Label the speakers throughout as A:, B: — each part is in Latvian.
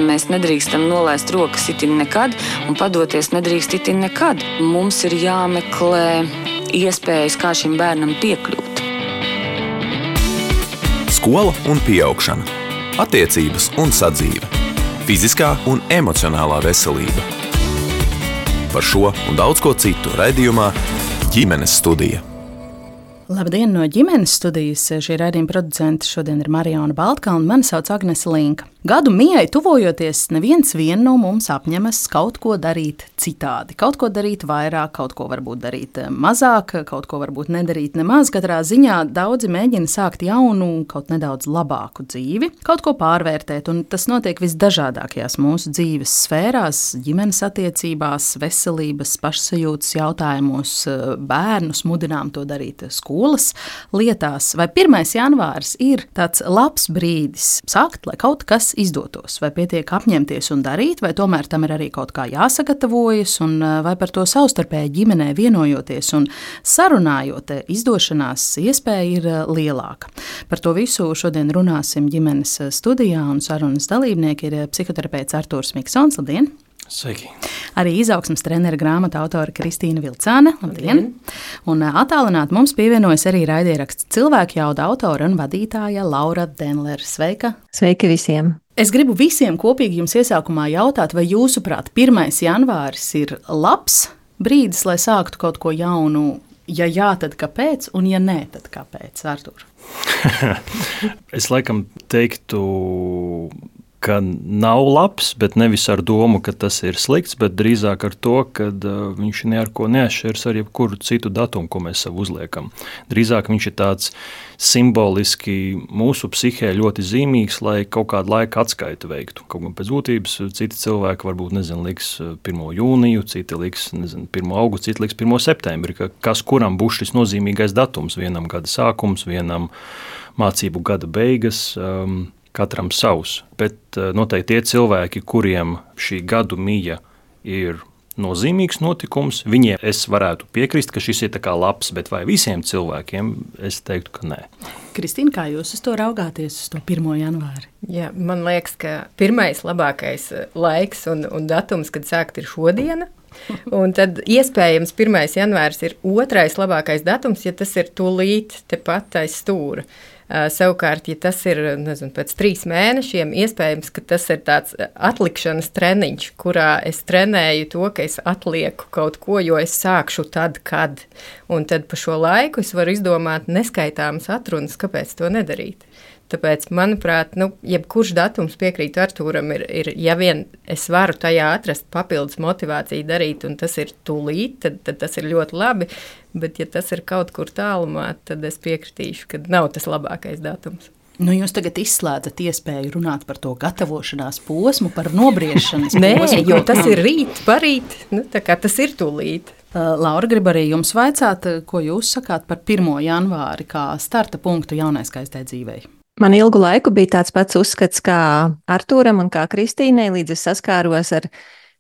A: mēs nedrīkstam nolaist rokas itin nekad un padoties nedrīkst itin nekad. Mums ir jāmeklē iespējas, kā šim bērnam piekļūt.
B: Skola un pieaugšana, attiecības un sadzīve, fiziskā un emocionālā veselība. Par šo un daudz ko citu raidījumā Ģimenes studija.
C: Labdien no ģimenes studijas. Šī raidījuma producente šodien ir Mariona Baltkalna, un mani sauc Agnese Linka. Gadu mijai tuvojoties, neviens no mums apņemas kaut ko darīt citādi. Kaut ko darīt vairāk, kaut ko varbūt darīt mazāk, kaut ko varbūt nedarīt nemaz. Katrā ziņā daudzi mēģina sākt jaunu, kaut nedaudz labāku dzīvi, kaut ko pārvērtēt, un tas notiek visdažādākajās mūsu dzīves sfērās, ģimenes attiecībās, veselības, pašsajūtas jautājumos, bērnus mudinām to darīt skolas lietās. Vai 1. janvāris ir tāds labs brīdis sākt, lai kaut kas izdotos? Vai pietiek apņemties un darīt, vai tomēr tam ir arī kaut kā jāsagatavojas, un vai par to savstarpēji ģimenē vienojoties un sarunājot, izdošanās iespēja ir lielāka. Par to visu šodien runāsim ģimenes studijā, un sarunas dalībnieki ir psihoterapeits Artūrs Miksons. Labdien!
D: Sveiki!
C: Arī izaugsmes trenera grāmatu autore Kristīna Vilcāne. Labdien! Un attālināt mums pievienojas arī raidieraksts Cilvēku jauda autore un vadītāja Laura Denlere. Sveika!
E: Sveiki visiem!
C: Es gribu visiem kopīgi jums iesākumā jautāt, vai jūsuprāt 1. janvāris ir labs brīdis, lai sāktu kaut ko jaunu? Ja jā, tad kāpēc? Un ja nē, tad kāpēc? Artūr?
D: Es laikam teiktu, ka nav labs, bet nevis ar domu, ka tas ir slikts, bet drīzāk ar to, ka viņš ne ar ko neatšķiras ar jebkuru citu datumu, ko mēs sev uzliekam. Drīzāk viņš ir tāds simboliski mūsu psihē ļoti zīmīgs, lai kaut kādu laiku atskaitu veiktu. Kaut gan pēc būtības citi cilvēki varbūt, liks 1. jūniju, citi liks, 1. augustu, citi liks 1. septembri, kas kuram būs šis nozīmīgais datums, vienam gada sākums, vienam mācību gada beigas, katram savs, bet noteikti tie cilvēki, kuriem šī gadu mija ir nozīmīgs notikums, viņiem es varētu piekrist, ka šis ir tā kā labs, bet vai visiem cilvēkiem es teiktu, ka nē.
C: Kristīna, kā jūs uz to raugāties, uz to 1. janvāri?
E: Jā, man liekas, ka pirmais labākais laiks un datums, kad sākt, ir šodiena. Un tad iespējams 1. janvāris ir otrais labākais datums, ja tas ir tūlīt tepat aiz stūra. Savukārt, ja tas ir pēc 3 mēnešiem, iespējams, ka tas ir tāds atlikšanas treniņš, kurā es trenēju to, ka es atlieku kaut ko, jo es sākšu tad, kad. Un tad pa šo laiku es varu izdomāt neskaitāmas atrunas, kāpēc to nedarīt. Tāpēc, manuprāt, jebkurš datums, piekrītu Artūram, ir, ja vien es varu tajā atrast papildus motivāciju darīt, un tas ir tūlīt, tad tas ir ļoti labi, bet ja tas ir kaut kur tālumā, tad es piekritīšu, ka nav tas labākais datums.
C: Jūs tagad izslēdzat iespēju runāt par to gatavošanās posmu, par nobriešanas posmu.
E: Nē, jo tas ir rīt, parīt, tā kā tas ir tūlīt.
C: Laura, grib arī jums vaicāt, ko jūs sakāt par 1. janvāri kā starta punktu jaunai skaistai dzīvei?
E: Man ilgu laiku bija tāds pats uzskats kā Artūram un kā Kristīnai, līdz es saskāros ar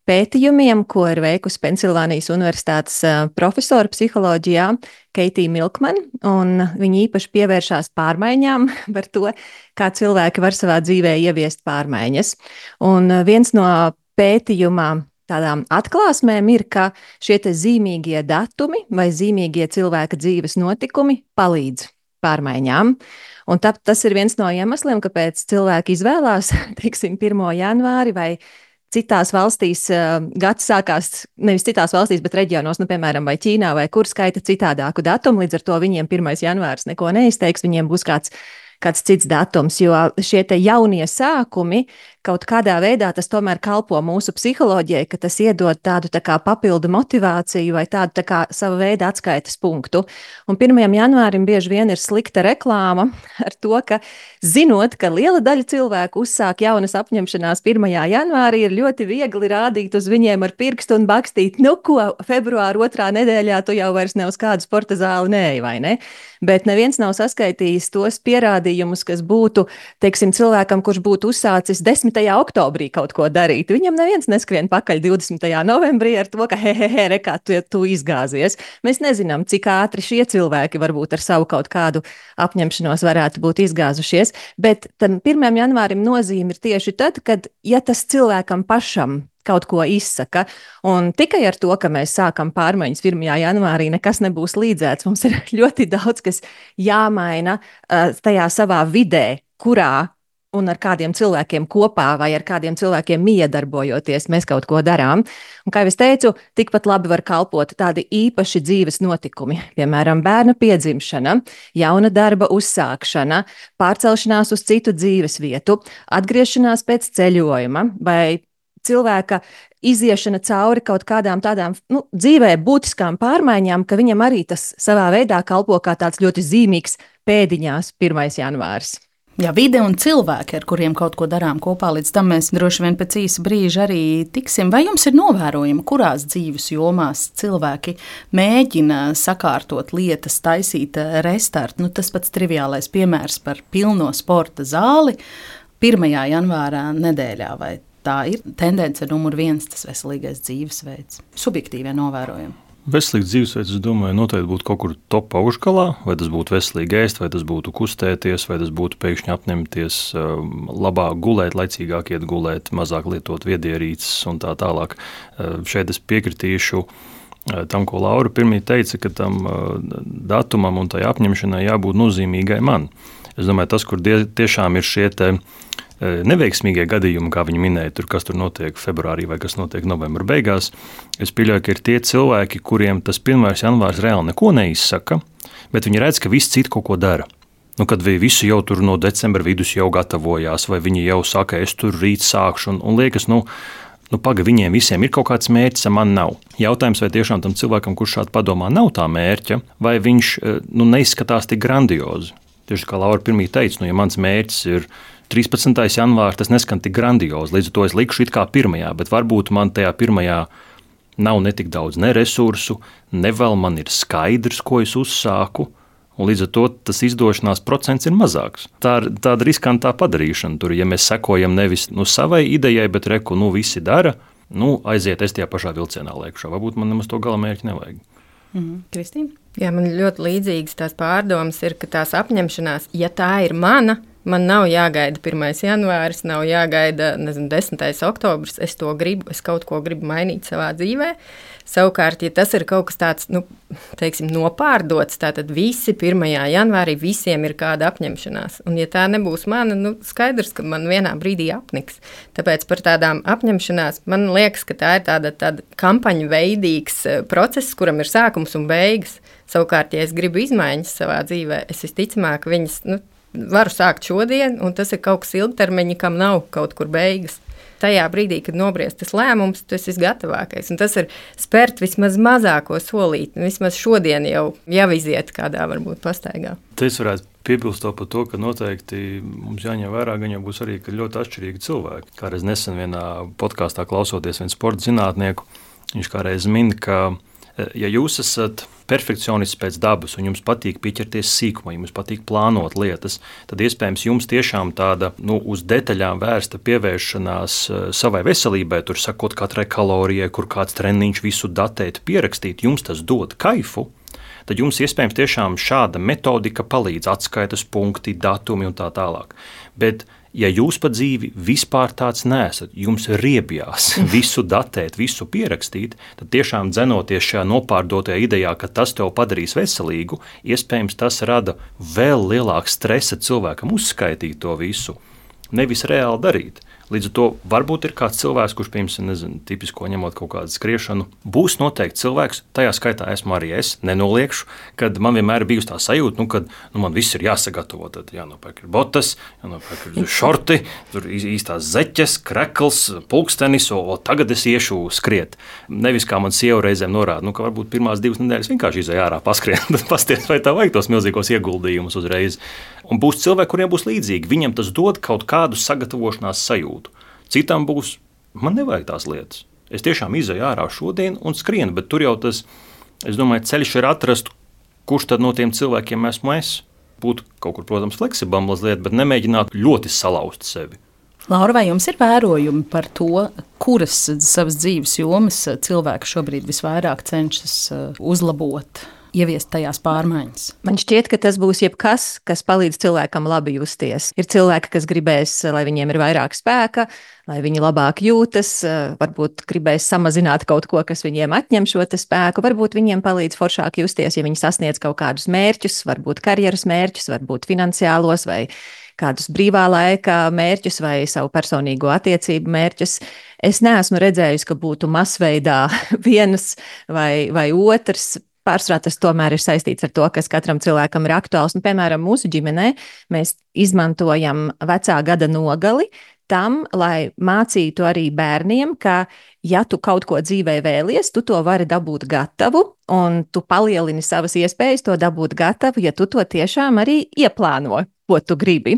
E: pētījumiem, ko ir veikusi Pensilvānijas Universitātes profesora psiholoģijā Keitija Milkman, un viņa īpaši pievēršās pārmaiņām par to, kā cilvēki var savā dzīvē ieviest pārmaiņas. Un viens no pētījumā tādām atklāsmēm ir, ka šie te zīmīgie datumi vai zīmīgie cilvēka dzīves notikumi palīdz pārmaiņām. Un tas ir viens no iemesliem, kāpēc cilvēki izvēlās, 1. janvāri vai citās valstīs gads sākās, nevis citās valstīs, bet reģionos, piemēram, vai Ķīnā, vai kur skaita citādāku datumu, līdz ar to viņiem 1. janvāris neko neizteiks, viņiem būs kāds cits datums, jo šie te jaunie sākumi kaut kādā veidā tas tomēr kalpo mūsu psiholoģijai, ka tas iedod tādu tā kā papildu motivāciju vai tādu tā kā sava veida atskaites punktu. Un 1. janvārim bieži vien ir slikta reklāma ar to, ka zinot, ka liela daļa cilvēku uzsāk jaunas apņemšanās 1. janvārī, ir ļoti viegli rādīt uz viņiem ar pirkstu un bakstīt, ko februāra 2. nedēļā tu jau vairs ne uz kādu sporta zāli neej, vai ne? Bet neviens nav saskaitījis tos pierādījumus, gadījumus, kas būtu, teiksim, cilvēkam, kurš būtu uzsācis 10. oktobrī kaut ko darīt. Viņam neviens neskrien pakaļ 20. novembrī ar to, ka rekā, tu izgāzies. Mēs nezinām, cik ātri šie cilvēki varbūt ar savu kaut kādu apņemšanos varētu būt izgāzušies, bet tam 1. janvārim nozīme ir tieši tad, kad, ja tas cilvēkam pašam kaut ko izsaka. Un tikai ar to, ka mēs sākam pārmaiņas 1. janvārī, nekas nebūs līdzēts. Mums ir ļoti daudz, kas jāmaina tajā savā vidē, kurā un ar kādiem cilvēkiem kopā vai ar kādiem cilvēkiem miedarbojoties mēs kaut ko darām. Un, kā jau es teicu, tikpat labi var kalpot tādi īpaši dzīves notikumi, piemēram, bērna piedzimšana, jauna darba uzsākšana, pārcelšanās uz citu dzīves vietu, atgriešanās pēc ceļojuma vai cilvēka iziešana cauri kaut kādām tādām dzīvē būtiskām pārmaiņām, ka viņam arī tas savā veidā kalpo kā tāds ļoti zīmīgs pēdiņās 1. janvāris.
C: Jā, vide un cilvēki, ar kuriem kaut ko darām kopā, līdz tam mēs droši vien pēc īsa brīža arī tiksim. Vai jums ir novērojama, kurās dzīves jomās cilvēki mēģina sakārtot lietas, taisīt restartu? Tas pats triviālais piemērs par pilno sporta zāli 1. janvārā nedēļā, vai tā ir tendence numur 1, tas veselīgais dzīvesveids? Subjektīvie novērojumi.
D: Veselīgs dzīvesveids, es domāju, noteikti būtu kaut kur top augšgalā, vai tas būtu veselīgi ēst, vai tas būtu kustēties, vai tas būtu pēkšņi apņemties labāk gulēt, laicīgāk iet gulēt, mazāk lietot viedierīces un tā tālāk. Šeit es piekritīšu tam, ko Laura pirmie teica, ka tam datumam un tai apņemšanai jābūt nozīmīgai man. Es domāju, tas, kur tiešām ir šie neveiksmīgie gadījumi, kā viņi minēja, kas tur notiek februārī vai kas notiek novembra beigās, es pieļauju, ka ir tie cilvēki, kuriem tas 1. janvārs reāli neko neizsaka, bet viņi redz, ka visi citi kaut ko dara. Kad visi jau tur no decembra vidus jau gatavojās, vai viņi jau saka, es tur rīt sākšu, un liekas, viņiem visiem ir kaut kāds mērķis, man nav. Jautājums, vai tiešām tam cilvēkam, kurš šādi padomā, nav tā mērķa, vai viņš neizskatās tik grandiozi. Tieši kā Laura pirmie teica, ja mans mērķis ir 13. janvārs, tas neskan tik grandiozi, līdz ar to es likšu it kā 1. bet varbūt man tajā 1. nav netik daudz ne resursu, ne vēl man ir skaidrs, ko es uzsāku, un līdz ar to tas izdošanās procents ir mazāks. Tā ir tāda riskantā padarīšana, tur, ja mēs sekojam nevis savai idejai, bet visi dara, aiziet es tajā pašā vilcienā liekšā, varbūt man nemaz to gala mērķi nevajag.
C: Kristīna?
F: Jā, man ļoti līdzīgas tās pārdomas ir, ka tās apņemšanās, ja tā ir mana, man nav jāgaida 1. janvāris, nav jāgaida 10. oktobris, es to gribu, es kaut ko gribu mainīt savā dzīvē. Savukārt, ja tas ir kaut kas tāds, nopārdots, tātad visi 1. janvārī visiem ir kāda apņemšanās. Un ja tā nebūs mana, skaidrs, ka man vienā brīdī apniks. Tāpēc par tādām apņemšanās, man liekas, ka tā ir tāda kampaņu veidīgs process, kuram ir sākums un beigas. Savukārt, ja es gribu izmaiņas savā dzīvē, es visticamāk viņas, varu sākt šodien, un tas ir kaut kas ilgtermiņa, kam nav kaut kur beigas. Tajā brīdī, kad nobriest tas lēmums, tas ir gatavākais. Un tas ir spērt vismaz mazāko solīti. Vismaz šodien jau iziet kādā varbūt pastaigā.
D: Te es varētu piebilst par to, ka noteikti mums jāņem vērā, gan jau būs arī ļoti atšķirīgi cilvēki. Kādreiz nesen vienā podkāstā klausoties vienu sporta zinātnieku, viņš kādreiz min, ka ja jūs esat perfekcionists pēc dabas un jums patīk pieķerties sīkumā, jums patīk plānot lietas, tad iespējams jums tiešām tāda uz detaļām vērsta pievēršanās savai veselībai, tur sakot katrai kalorijai, kur kāds treniņš visu datēt, pierakstīt, jums tas dod kaifu, tad jums iespējams tiešām šāda metodika palīdz, atskaitas punkti, datumi un tā tālāk. Bet ja jūs pa dzīvi vispār tāds neesat, jums riebjās visu datēt, visu pierakstīt, tad tiešām dzenoties šajā nopārdotajā idejā, ka tas tev padarīs veselīgu, iespējams tas rada vēl lielāku stresa cilvēkam uzskaitīt to visu, nevis reāli darīt. Līdz ar to varbūt ir kāds cilvēks, kurš, piemēram, tipisko ņemot kaut kādu skriešanu, būs noteikti cilvēks, tajā skaitā esmu arī es, nenoliekšu, kad man vienmēr ir bijusi tā sajūta, kad man viss ir jāsagatavo. Tad jānopērk ir botas, jānopērk ir šorti, tur īstās zeķes, krekls, pulkstenis, o tagad es iešu skriet. Nevis kā man sieva reizēm norāda, ka varbūt pirmās 2 nedēļas vienkārši izēj ārā paskrien, tad pasties, vai tā vajag tos milzīgos ieguldījumus uzreiz. Un būs cilvēki, kuriem būs līdzīgi, viņam tas dod kaut kādu sagatavošanās sajūtu. Citam būs, man nevajag tās lietas. Es tiešām izēju ārā šodien un skrienu, bet tur jau tas, es domāju, ceļš ir atrast, kurš tad no tiem cilvēkiem esmu es. būt kaut kur, protams, fleksiblam mazliet, bet nemēģināt ļoti salauzt sevi.
C: Laura, vai jums ir vērojumi par to, kuras savas dzīves jomas cilvēki šobrīd visvairāk cenšas uzlabot? Ieviest tajās pārmaiņas.
E: Man šķiet, ka tas būs jebkas, kas palīdz cilvēkam labi justies. Ir cilvēki, kas gribēs, lai viņiem ir vairāk spēka, lai viņi labāk jūtas, varbūt gribēs samazināt kaut ko, kas viņiem atņem šo spēku, varbūt viņiem palīdz foršāk justies, ja viņi sasniedz kaut kādus mērķus, varbūt karjeras mērķus, varbūt finansiālos vai kādus brīvā laika mērķus vai savu personīgo attiecību mērķus. Es neesmu redzējusi, ka būtu masveidā viens vai otrs. Pārsvarā tas tomēr ir saistīts ar to, kas katram cilvēkam ir aktuāls. Piemēram, mūsu ģimenē mēs izmantojam vecā gada nogali tam, lai mācītu arī bērniem, ka, ja tu kaut ko dzīvē vēlies, tu to vari dabūt gatavu, un tu palielini savas iespējas to dabūt gatavu, ja tu to tiešām arī ieplāno, ko tu gribi.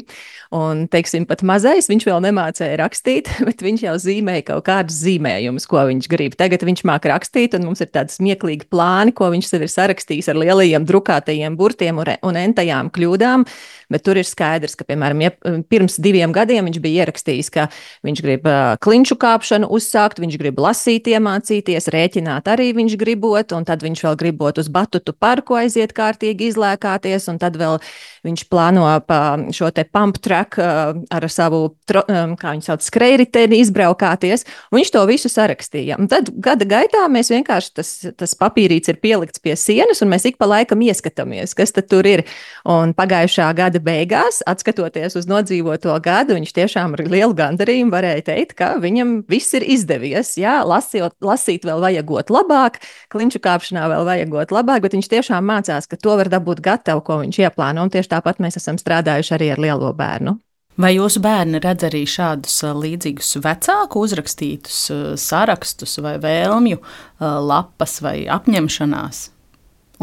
E: Un, teiksim, pat mazais, viņš vēl nemācēja rakstīt, bet viņš jau zīmēja kaut kādus zīmējumus, ko viņš grib. Tagad viņš māk rakstīt, un mums ir tādi smieklīgi plāni, ko viņš sev ir sarakstījis ar lielajiem drukātajiem burtiem un entajām kļūdām, bet tur ir skaidrs, ka, piemēram, pirms 2 gadiem viņš bija ierakstījis, ka viņš grib klinšu kāpšanu uzsākt, viņš grib lasīt, iemācīties, rēķināt arī viņš gribot, un tad viņš vēl gribot uz batutu parku aiziet kārtīgi izlēkāties, un tad vēl viņš plāno pa šo te pump track ar savu, kā viņi sauc, skrejriteni izbraukāties, un viņš to visu sarakstīja. Un tad gada gaitā mēs vienkārši tas papīrīts ir pielikts pie sienas, un mēs ik pa laikam ieskatāmies, kas tad tur ir. Un pagājušā gada beigās, atskatoties uz nodzīvoto gadu, viņš tiešām ar lielu gandarījumu varēja teikt, ka viņam viss ir izdevies. Jā, lasīt vēl vajagot labāk, klinšu kāpšanā vēl vajagot labāk, bet viņš tiešām mācās, ka to var dabūt gatavu, ko viņš ieplāno, un tieši tāpat mēs esam strādājuši arī ar lielo bērnu.
C: Vai jūsu bērni redz arī šādus līdzīgus vecāku uzrakstītus sarakstus vai vēlmju lapas vai apņemšanās?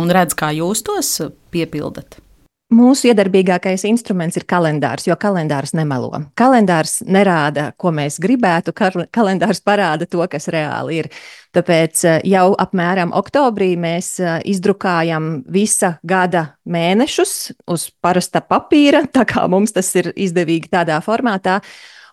C: Un redz, kā jūs tos piepildat?
E: Mūsu iedarbīgākais instruments ir kalendārs, jo kalendārs nemelo. Kalendārs nerāda, ko mēs gribētu, kalendārs parāda to, kas reāli ir. Tāpēc jau apmēram oktobrī mēs izdrukājam visa gada mēnešus uz parasta papīra, tā kā mums tas ir izdevīgi tādā formātā.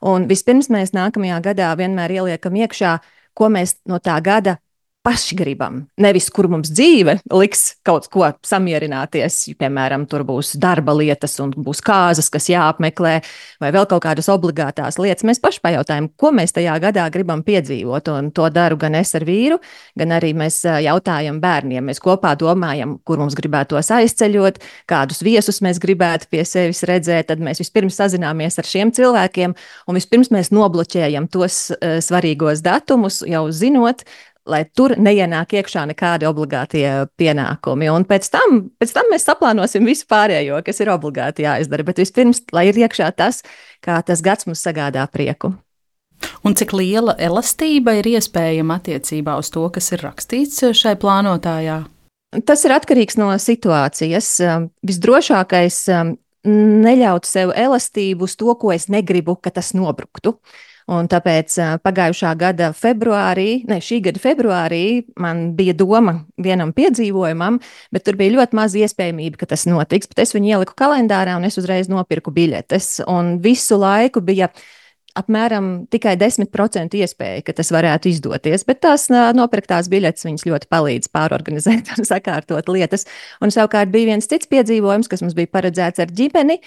E: Un vispirms mēs nākamajā gadā vienmēr ieliekam iekšā, ko mēs no tā gada paši gribam. Nevis, kur mums dzīve liks kaut ko samierināties, piemēram, tur būs darba lietas un būs kāzas, kas jāapmeklē, vai vēl kaut kādas obligātās lietas. Mēs paši pajautājam, ko mēs tajā gadā gribam piedzīvot, un to daru gan es ar vīru, gan arī mēs jautājam bērniem. Mēs kopā domājam, kur mums gribētos aizceļot, kādus viesus mēs gribētu pie sevis redzēt, tad mēs vispirms sazināmies ar šiem cilvēkiem, un vispirms mēs nobloķējam tos svarīgos datumus, jau zinot, lai tur neienāk iekšā nekādi obligātie pienākumi. Un pēc tam mēs saplānosim visu pārējo, kas ir obligāti jāizdara. Bet vispirms, lai ir iekšā tas, kā tas gads mums sagādā prieku.
C: Un cik liela elastība ir iespējama attiecībā uz to, kas ir rakstīts šai plānotājā?
E: Tas ir atkarīgs no situācijas. Visdrošākais neļaut sev elastību uz to, ko es negribu, ka tas nobruktu. Un tāpēc pagājušā gada šī gada februārī man bija doma vienam piedzīvojumam, bet tur bija ļoti maz iespējamība, ka tas notiks. Bet es viņu ieliku kalendārā un es uzreiz nopirku biļetes. Un visu laiku bija apmēram tikai 10% iespēja, ka tas varētu izdoties. Bet tās nopirktās biļetes viņas ļoti palīdz pārorganizēt un sakārtot lietas. Un savukārt bija viens cits piedzīvojums, kas mums bija paredzēts ar ģimeni,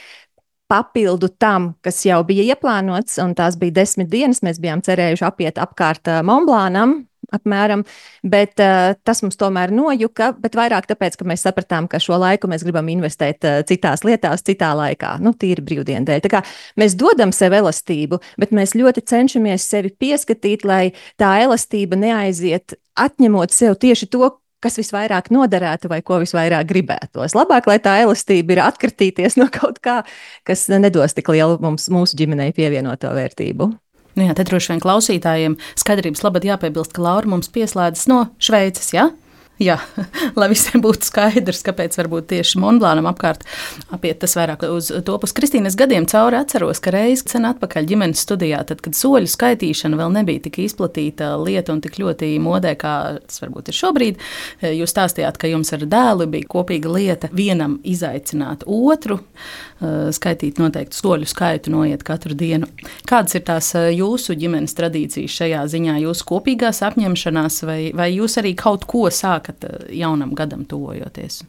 E: papildu tam, kas jau bija ieplānots, un tās bija 10 dienas. Mēs bijām cerējuši apiet apkārt Monblānam apmēram, bet tas mums tomēr nojuka, bet vairāk tāpēc, ka mēs sapratām, ka šo laiku mēs gribam investēt citās lietās, citā laikā, tīri brīvdienu dēļ. Tā kā mēs dodam sev elastību, bet mēs ļoti cenšamies sevi pieskatīt, lai tā elastība neaiziet, atņemot sev tieši to, kas visvairāk noderētu vai ko visvairāk gribētos. Labāk, lai tā elastība ir atkritīties no kaut kā, kas nedos tik lielu mūsu ģimenei pievienoto vērtību.
C: Nu jā, te droši vien klausītājiem skaidrības labad jāpiebilst, ka Laura mums pieslēdzas no Šveices, ja? Jā, lai visiem būtu skaidrs, kāpēc varbūt tieši Monblānam apkārt apiet tas vairāk uz to pus Kristīnes gadiem cauri atceros, ka reiz sen atpakaļ ģimenes studijā, tad, kad soļu skaitīšana vēl nebija tik izplatīta lieta un tik ļoti modē, kā tas varbūt ir šobrīd, jūs stāstījāt, ka jums ar dēlu bija kopīga lieta vienam izaicināt otru, skaitīt noteiktu soļu skaitu, noiet katru dienu. Kādas ir tās jūsu ģimenes tradīcijas šajā ziņā, jūsu kopīgās apņemšanās, vai jūs arī kaut ko sākat jaunam gadam tuvojoties?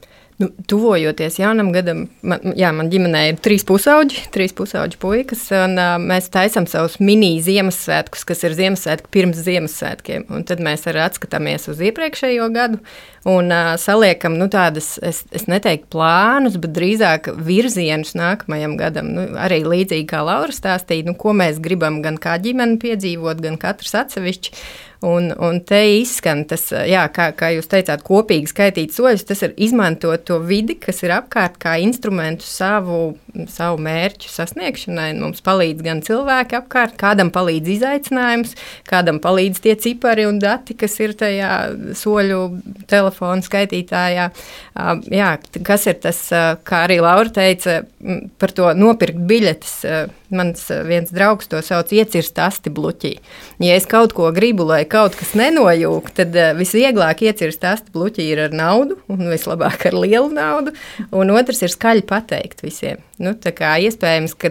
F: Tuvojoties jaunam gadam, man ģimenē ir 3 pusauģi puikas, un mēs taisam savus mini Ziemassvētkus, kas ir Ziemassvētki pirms Ziemassvētkiem, un tad mēs arī atskatāmies uz iepriekšējo gadu un saliekam tādas, es neteiktu plānus, bet drīzāk virzienus nākamajam gadam. Arī līdzīgi kā Laura stāstīja, ko mēs gribam gan kā ģimeni piedzīvot, gan katrs atsevišķi. Un te izskan tas, kā jūs teicāt, kopīgi skaitīt soļus, tas ir izmantot to vidi, kas ir apkārt kā instrumentu savu mērķu sasniegšanai. Mums palīdz gan cilvēki apkārt, kādam palīdz izaicinājums, kādam palīdz tie cipari un dati, kas ir tajā soļu telefona skaitītājā. Kas ir tas, kā arī Laura teica, par to nopirkt biļetes. Mans viens draugs to sauc iecirst asti bluķī. Ja es kaut ko gribu, lai kaut kas nenojūk, tad visvieglāk iecirst asti bluķī ir ar naudu, un vislabāk ar lielu naudu, un otrs ir skaļi pateikt visiem. Tā kā iespējams, ka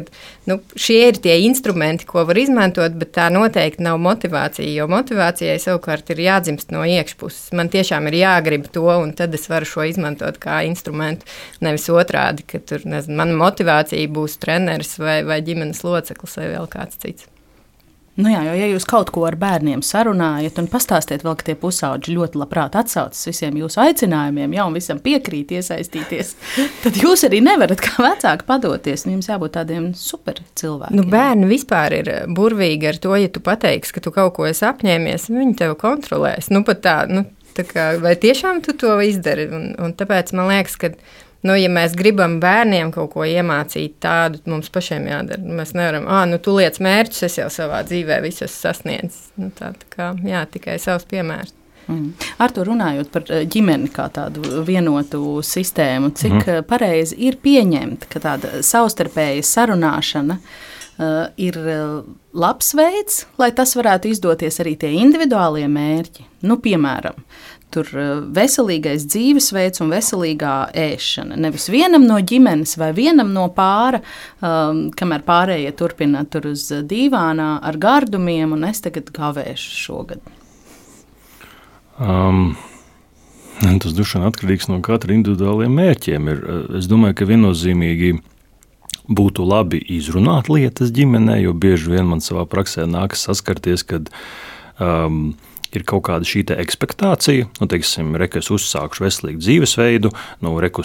F: šie ir tie instrumenti, ko var izmantot, bet tā noteikti nav motivācija, jo motivācijai savukārt ir jādzimst no iekšpuses. Man tiešām ir jāgrib to, un tad es varu šo izmantot kā instrumentu, nevis otrādi, ka tur, mana motivācija būs treneris vai ģimenes loceklis vai vēl kāds cits.
C: Jo ja jūs kaut ko ar bērniem sarunājat un pastāstiet vēl, ka tie pusauģi ļoti labprāt atsaucas visiem jūsu aicinājumiem, un visam piekrīt iesaistīties, tad jūs arī nevarat kā vecāki padoties, jums jābūt tādiem super cilvēkiem.
F: Bērni vispār ir burvīgi ar to, ja tu pateiksi, ka tu kaut ko esi apņēmies, viņi tevi kontrolēs. Pat tā kā, vai tiešām tu to izdari? Un tāpēc man liekas, ka ja mēs gribam bērniem kaut ko iemācīt tādu, mums pašiem jādara. Mēs nevaram, tu liec mērķus, es jau savā dzīvē visu esmu sasniedzis. Tā kā, tikai savs piemērs.
C: Ar to runājot par ģimeni kā tādu vienotu sistēmu, cik pareizi ir pieņemt, ka tāda savstarpēja sarunāšana ir labs veids, lai tas varētu izdoties arī tie individuālie mērķi. Piemēram, tur veselīgais dzīvesveids un veselīgā ēšana. Nevis vienam no ģimenes vai vienam no pāra, kamēr pārējie turpina tur uz dīvānā ar gardumiem, un es tagad gavēšu šogad.
D: Tas droši vien atkarīgs no katra individuāliem mērķiem. Es domāju, ka viennozīmīgi būtu labi izrunāt lietas ģimenē, jo bieži vien man savā praksē nākas saskarties, kad ir kaut kāda šī ekspektācija, teiksim, ka es uzsākšu veselīgu dzīvesveidu,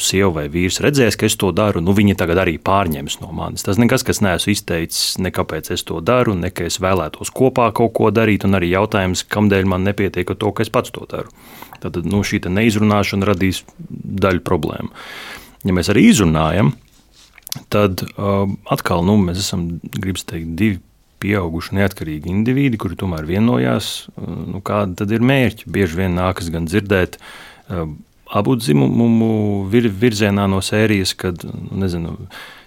D: sieva vai vīrs redzēs, ka es to daru, viņi tagad arī pārņems no manis. Tas nekas, kas neesmu izteicis, nekāpēc es to daru, ne ka es vēlētos kopā kaut ko darīt, un arī jautājums, kamdēļ man nepietiek ar to, ka es pats to daru. Tad šī neizrunāšana radīs daļu problēmu. Ja mēs arī izrunājam, tad atkal mēs esam, gribas teikt, 2 pieauguši neatkarīgi indivīdi, kuri tomēr vienojās, kāda tad ir mērķi. Bieži vien nākas gan dzirdēt abu dzimumu virzienā no sērijas, kad,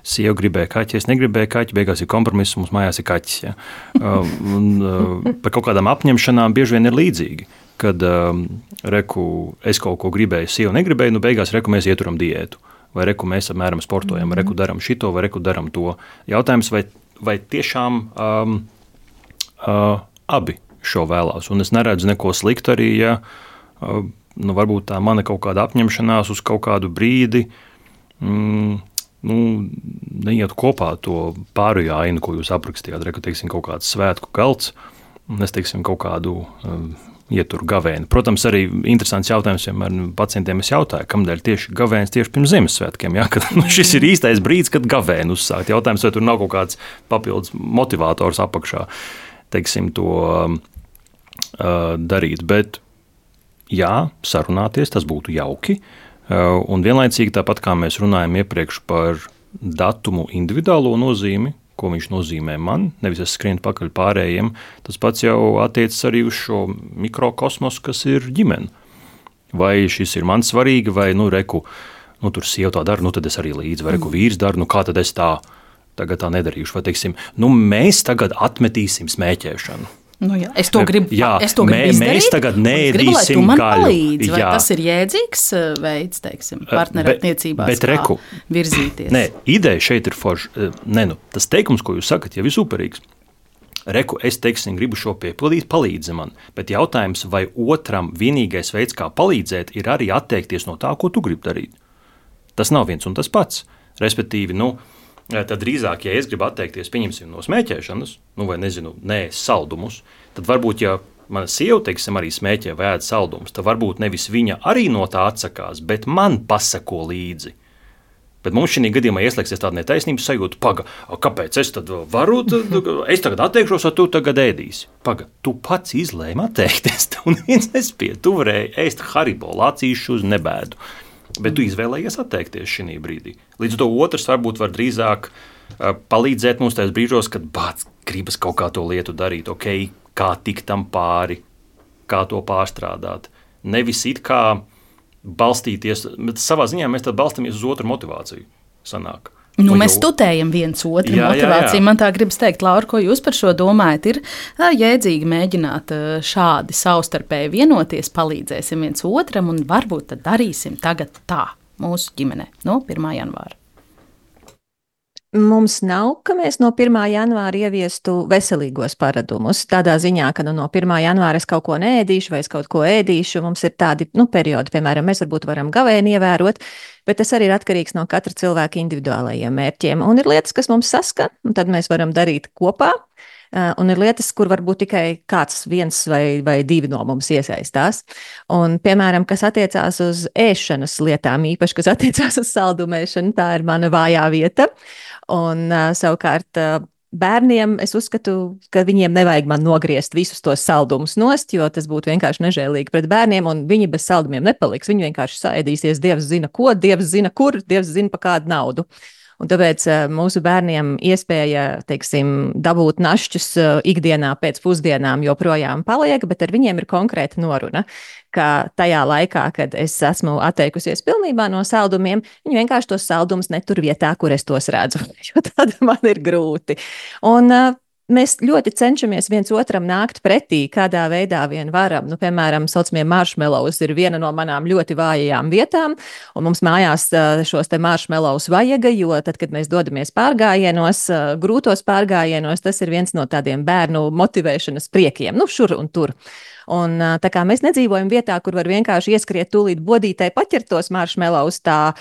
D: sieva gribēja kaķi, es negribēju kaķi, beigās ir kompromiss, mums mājās ir kaķis. Ja? Par kaut kādām apņemšanām bieži vien ir līdzīgi, kad es kaut ko gribēju, sieva negribēju, beigās mēs ieturam diētu, vai mēs apmēram sportojam, vai daram šito, vai daram to. Jautājums, vai tiešām abi šo vēlās. Un es neredzu neko sliktu arī, ja varbūt tā mana kaut kāda apņemšanās uz kaut kādu brīdi neiet kopā to pārējo ainu, ko jūs aprakstījāt. Teiksim, kaut kāds svētku galds, un es teiksim, kaut kādu ieturu gavēni. Protams, arī interesants jautājums vienmēr pacientiem es jautāju, kamdēļ tieši gavēnis tieši pirms Ziemassvētkiem, kad šis ir īstais brīdis, kad gavēni uzsākt. Jautājums, vai tur nav kaut kāds papildus motivators apakšā, teiksim, to darīt. Bet, sarunāties, tas būtu jauki. Un vienlaicīgi tāpat, kā mēs runājam iepriekš par datumu individuālo nozīmi, ko viņš nozīmē man, nevis es skrienu pakaļ pārējiem, tas pats jau attiecas arī uz šo mikrokosmosu, kas ir ģimene. vai šis ir man svarīgi, vai, reku, tur sieva tā dara, tad es arī līdzi, vai reku vīrs dara, kā tad es tagad tā nedarīšu, vai, teiksim, mēs tagad atmetīsim smēķēšanu.
C: Es to gribu izdarīt.
D: Mēs tagad neēdīsim
C: gaļu. Vai tas ir jēdzīgs veids, teiksim, partnerattiecībās, kā virzīties?
D: Nē, ideja šeit ir forša. Tas teikums, ko jūs sakat, jau ir superīgs. Reku, es teiksim, gribu šo piepildīt, palīdzi man. Bet jautājums, vai otram vienīgais veids, kā palīdzēt, ir arī atteikties no tā, ko tu gribi darīt. Tas nav viens un tas pats. Respektīvi, tad drīzāk, ja es gribu atteikties, pieņemsim no smēķēšanas, vai nē, saldumus, tad varbūt, ja mana sieva, teiksim, arī smēķē vai ēd saldumus, tad varbūt nevis viņa arī no tā atsakās, bet man pasako līdzi. Bet mums šī gadījumā ieslēgsies tāda netaisnības sajūta, kāpēc es tad varu, es tagad atteikšos, vai tu tagad ēdīsi? Tu pats izlēmi atteikties, tev neviens nespēja, tu varēji ēst Haribo, lācīšu uz nebēdu. Bet tu izvēlējies atteikties šī brīdī. Līdz to otrs varbūt var drīzāk palīdzēt mums tajos brīžos, kad gribas kaut kā to lietu darīt, kā tikt tam pāri, kā to pārstrādāt. Nevis it kā balstīties, bet savā ziņā mēs tad balstamies uz otru motivāciju. Sanāk.
C: Mēs tutējam viens otru motivāciju. Jā. Man tā gribas teikt, Laura, ko jūs par šo domājat? Ir jēdzīgi mēģināt šādi savstarpēji vienoties, palīdzēsim viens otram un varbūt tad darīsim tagad tā mūsu ģimenē no 1. janvāra.
E: Mums nav, ka mēs no 1. janvāra ieviestu veselīgos paradumus. Tādā ziņā, ka no 1. janvāra es kaut ko neēdīšu vai es kaut ko ēdīšu. Mums ir tādi periodi, piemēram, mēs varbūt varam gavēni ievērot, bet tas arī ir atkarīgs no katra cilvēka individuālajiem mērķiem. Un ir lietas, kas mums saskan, un tad mēs varam darīt kopā. Un ir lietas, kur varbūt tikai kāds viens vai divi no mums iesaistās. Un, piemēram, kas attiecās uz ēšanas lietām, īpaši, kas attiecās uz saldumēšanu, tā ir mana vājā vieta. Un savukārt bērniem es uzskatu, ka viņiem nevajag man nogriezt visus tos saldumus nost, jo tas būtu vienkārši nežēlīgi pret bērniem, un viņi bez saldumiem nepaliks. Viņi vienkārši saēdīsies, Dievs zina ko, Dievs zina kur, Dievs zina pa kādu naudu. Un tāpēc mūsu bērniem iespēja, teiksim, dabūt našķus ikdienā pēc pusdienām joprojām paliek, bet ar viņiem ir konkrēta noruna, ka tajā laikā, kad es esmu atteikusies pilnībā no saldumiem, viņi vienkārši tos saldumus netur vietā, kur es tos redzu, jo tad man ir grūti. Un mēs ļoti cenšamies viens otram nākt pretī, kādā veidā vien varam. Piemēram, saucamie marshmallows ir viena no manām ļoti vājajām vietām, un mums mājās šos te marshmallows vajag, jo tad, kad mēs dodamies pārgājienos, grūtos pārgājienos, tas ir viens no tādiem bērnu motivēšanas priekiem, šur un tur. Un tā kā mēs nedzīvojam vietā, kur var vienkārši ieskriet tūlīt bodītē paķert tos marshmallows, tā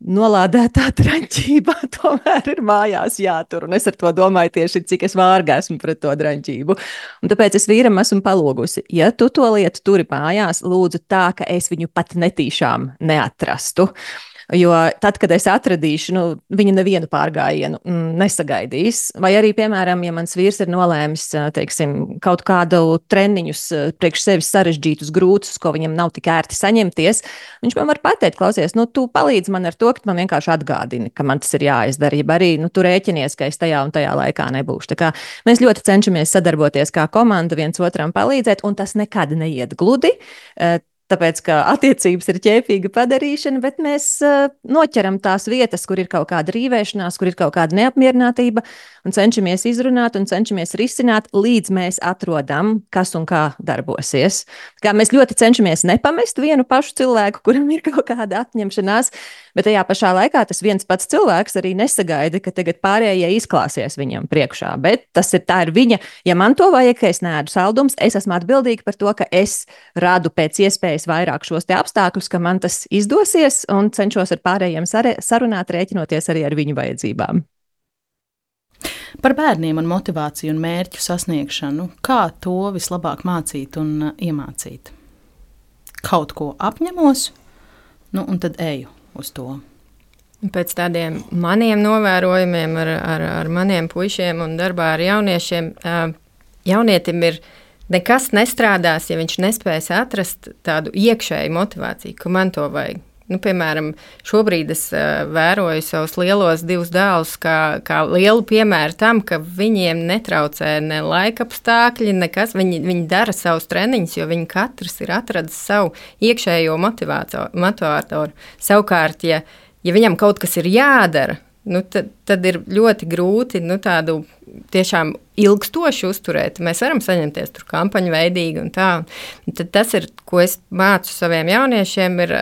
E: nolādētā draņķība tomēr ir mājās jātur, un es ar to domāju tieši, cik es vārga esmu pret to draņķību. Un tāpēc es vīram esmu palūgusi, ja tu to lietu turi mājās, lūdzu tā, ka es viņu pat netīšām neatrastu. Jo tad, kad es atradīšu, viņa nevienu pārgājienu nesagaidīs. Vai arī, piemēram, ja mans vīrs ir nolēmis, teiksim, kaut kādu treniņus priekš sevis sarežģītus, grūtus, ko viņam nav tik ērti saņemties, viņš man var pateikt, klausies, tu palīdzi man ar to, ka man vienkārši atgādini, ka man tas ir jāizdara, ja arī, tu rēķinies, ka es tajā un tajā laikā nebūšu. Tā kā mēs ļoti cenšamies sadarboties kā komanda, viens otram palīdzēt, un tas nekad neiet gludi. Tāpēc, ka attiecības ir ķēpīga padarīšana, bet mēs noķeram tās vietas, kur ir kaut kāda rīvēšanās, kur ir kaut kāda neapmierinātība, un cenšamies izrunāt un cenšamies risināt, līdz mēs atrodam, kas un kā darbosies. Kā mēs ļoti cenšamies nepamest vienu pašu cilvēku, kuram ir kaut kāda atņemšanās, bet tajā pašā laikā tas viens pats cilvēks arī nesagaida, ka tagad pārējie izklāsies viņam priekšā. Bet tā ir viņa, ja man to vajag, ka es neēdu saldumus, es esmu atbildīga par to, ka es radu pēc iespējas vairāk šos te apstākļus, ka man tas izdosies, un cenšos ar pārējiem sarunāt, rēķinoties arī ar viņu vajadzībām.
C: Par bērniem un motivāciju un mērķu sasniegšanu, kā to vislabāk mācīt un iemācīt? Kaut ko apņemos, un tad eju uz to.
F: Pēc tādiem maniem novērojumiem ar maniem puišiem un darbā ar jauniešiem, jaunietim ir nekas nestrādās, ja viņš nespēs atrast tādu iekšēju motivāciju, ka man to vajag. Piemēram, šobrīd es vēroju savus lielos divus dēlus kā lielu piemēru tam, ka viņiem netraucē ne laika apstākļi, nekas. Viņi dara savus treniņus, jo viņi katrs ir atradis savu iekšējo motivātoru. Savukārt, ja viņam kaut kas ir jādara, tad ir ļoti grūti tādu tiešām ilgstoši uzturēt. Mēs varam saņemties tur kampaņu veidīgi un tā. Un tad tas ir, ko es mācu saviem jauniešiem, ir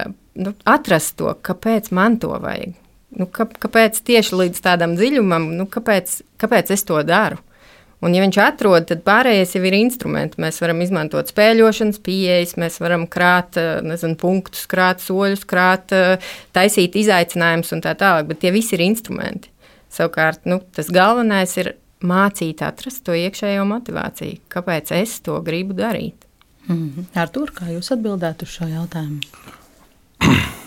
F: atrast to, kāpēc man to vajag. Kāpēc tieši līdz tādam dziļumam, kāpēc es to daru. Un ja viņš atrod, tad pārējais jau ir instrumenti. Mēs varam izmantot spēļošanas pieejas, mēs varam krāt, punktus, krāt soļus, taisīt izaicinājumus un tā tālāk, bet tie visi ir instrumenti. Savukārt, tas galvenais ir mācīt atrast to iekšējo motivāciju. Kāpēc es to gribu darīt?
C: Artūr, kā jūs atbildētu uz šo jautājumu?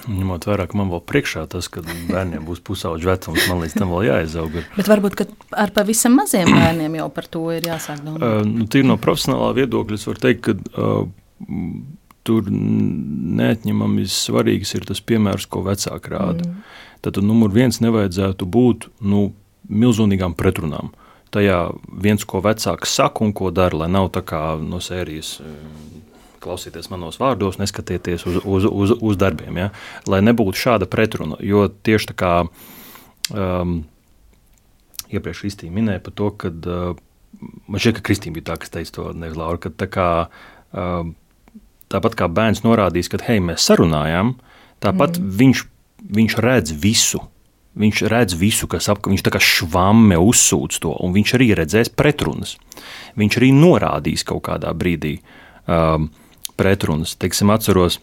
D: Ņemot vērā, ka man vēl priekšā tas, ka bērniem būs pusauģu vecums, man līdz tam vēl jāizaug.
C: Bet varbūt, ka ar pavisam maziem bērniem jau par to ir jāsāk domāt.
D: Tīri no profesionālā viedokļa es varu teikt, ka tur neatņemami svarīgs ir tas piemērs, ko vecāki rāda. Tad numur 1 nevajadzētu būt milzīgām pretrunām. Tajā viens, ko vecāks saka un ko dara, lai nav tā kā no sērijas klausieties manos vārdos, neskatieties uz darbiem, ja? Lai nebūtu šāda pretruna, jo tieši tā kā iepriekš Kristīna minēja par to, kad man šķiet, ka Kristīna bija tā, kas teica to, nevis Laura, ka tā kā tāpat kā bērns norādīs, ka hei, mēs sarunājām, tāpat viņš redz visu. Viņš redz visu, kas viņš tā kā švamme uzsūc to, un viņš arī redzēs pretrunas. Viņš arī norādīs kaut kādā brīdī pretrunas. Teiksim, atceros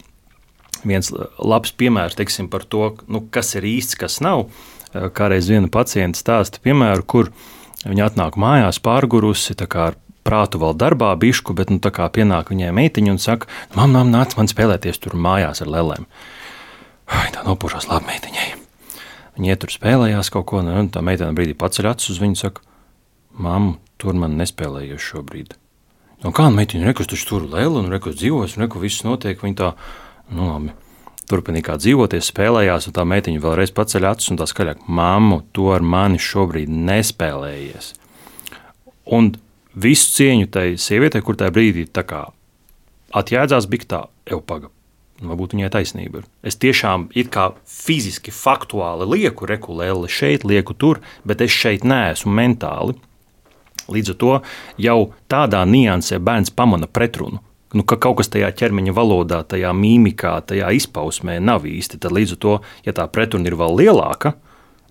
D: viens labs piemērs, teiksim, par to, kas ir īsts, kas nav. Kādreiz viena pacienta stāsta piemēru, kur viņa atnāk mājās pārgurusi, tā kā ar prātu vēl darbā bišku, bet tā kā pienāk viņai meitiņa un saka, mam, nāc man spēlēties tur mājās ar lelēm. Tā nopušās labi meitiņai. Viņa iet tur spēlējās kaut ko, un tā meitene brīdī paceļ acis uz viņu un saka, mam, tur man nespēlējies šobrīd. Kā meitiņa, rekus taču tur lēla, un rekus dzīvos, un rekus viss notiek, viņa tā, labi, turpinīja kā dzīvoties, spēlējās, un tā meitiņa vēlreiz paceļ acis, un tā skaļāk, mammu, tu ar mani šobrīd nespēlējies. Un visu cieņu tai sievietei, kur tajā brīdī tā kā atjēdzās, bija tā, paga, varbūt viņai taisnība ir. Es tiešām it kā fiziski, faktuāli lieku lēli šeit, lieku tur, bet es šeit neesmu mentāli. Līdz ar to jau tādā niansē bērns pamana pretrunu, ka kaut kas tajā ķermeņa valodā, tajā mīmikā, tajā izpausmē nav īsti. Tad līdz ar to, ja tā pretruna ir vēl lielāka,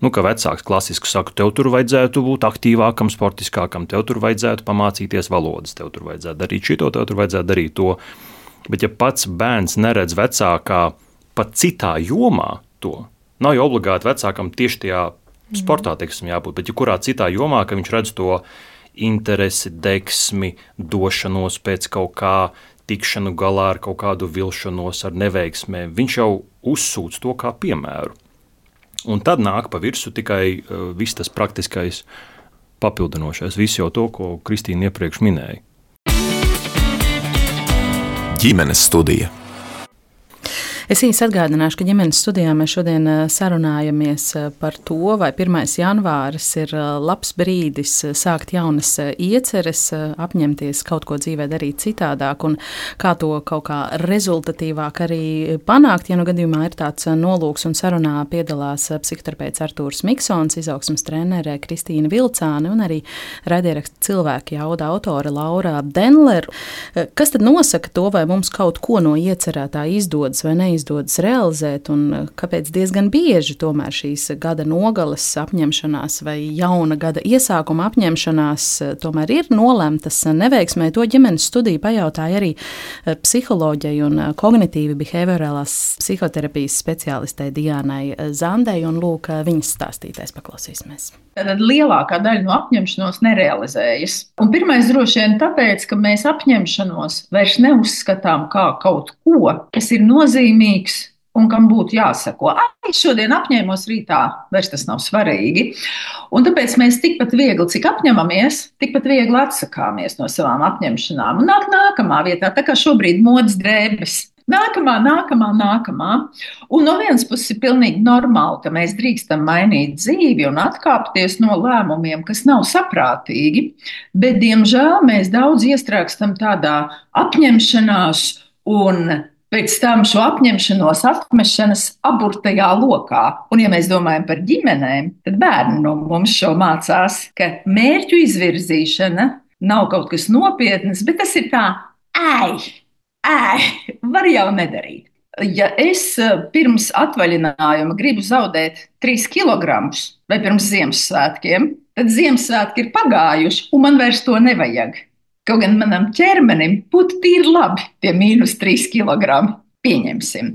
D: ka vecāks klasiski saka, tev tur vajadzētu būt aktīvākam, sportiskākam, tev tur vajadzētu pamācīties valodas, tev tur vajadzētu darīt šito, tev tur vajadzētu darīt to. Bet ja pats bērns neredz vecākā pat citā jomā to, nav jau obligāti vecākam tieši tajā sportā, teiksim, jābūt, bet ja kurā citā jomā, ka viņš redz to interesi, deksmi, došanos pēc kaut kā, tikšanu galā ar kaut kādu vilšanos, ar neveiksmēm, viņš jau uzsūc to kā piemēru. Un tad nāk pa virsu tikai viss tas praktiskais papildinošais, viss jau to, ko Kristīna iepriekš minēja.
B: Ģimenes studija.
C: Es īsi atgādināšu, ka ģimenes studijā mēs šodien sarunājamies par to, vai 1. janvāris ir labs brīdis sākt jaunas ieceres, apņemties kaut ko dzīvē darīt citādāk un kā to kaut kā rezultatīvāk arī panākt. Ja gadījumā ir tāds nolūks un sarunā piedalās psihoterapeits Artūrs Miksons, izaugsmes trenere Kristīna Vilcāne un arī raidieraksta Cilvēki jauda autore Laura Denler. Kas tad nosaka to, vai mums kaut ko no iecerētā izdodas vai neizdodas realizēt, un kāpēc diezgan bieži tomēr šīs gada nogales apņemšanās vai jauna gada iesākuma apņemšanās tomēr ir nolemtas neveiksmē. To ģimenes studiju pajautāja arī psiholoģijai un kognitīvi behaviorālās psihoterapijas speciālistei Diānai Zandei, un lūk, viņas stāstītais paklausīsimies.
G: Tad lielākā daļa no apņemšanos nerealizējas. Un pirmais droši vien tāpēc, ka mēs apņemšanos vairs neuzskatām kā kaut ko, kas ir nozīmīgs un kam būtu jāsako. Šodien apņēmos, rītā vairs tas nav svarīgi. Un tāpēc mēs tikpat viegli, cik apņemamies, tikpat viegli atsakāmies no savām apņemšanām. Un nāk nākamā vietā, tā kā šobrīd modes drēbes. Nākamā. Un no vienas puses ir pilnīgi normāli, ka mēs drīkstam mainīt dzīvi un atkāpties no lēmumiem, kas nav saprātīgi, bet, diemžēl, mēs daudz iestrēgstam tādā apņemšanās un pēc tam šo apņemšanos atmešanas aburtajā lokā. Un, ja mēs domājam par ģimenēm, tad bērni no mums šo mācās, ka mērķu izvirzīšana nav kaut kas nopietnas, bet tas ir tā, var jau nedarīt. Ja es pirms atvaļinājuma gribu zaudēt 3 kilogramus vai pirms Ziemassvētkiem, tad Ziemassvētki ir pagājuši un man vairs to nevajag. Kaut gan manam ķermenim būtu tīri labi tie -3 kilogrami. Pieņemsim.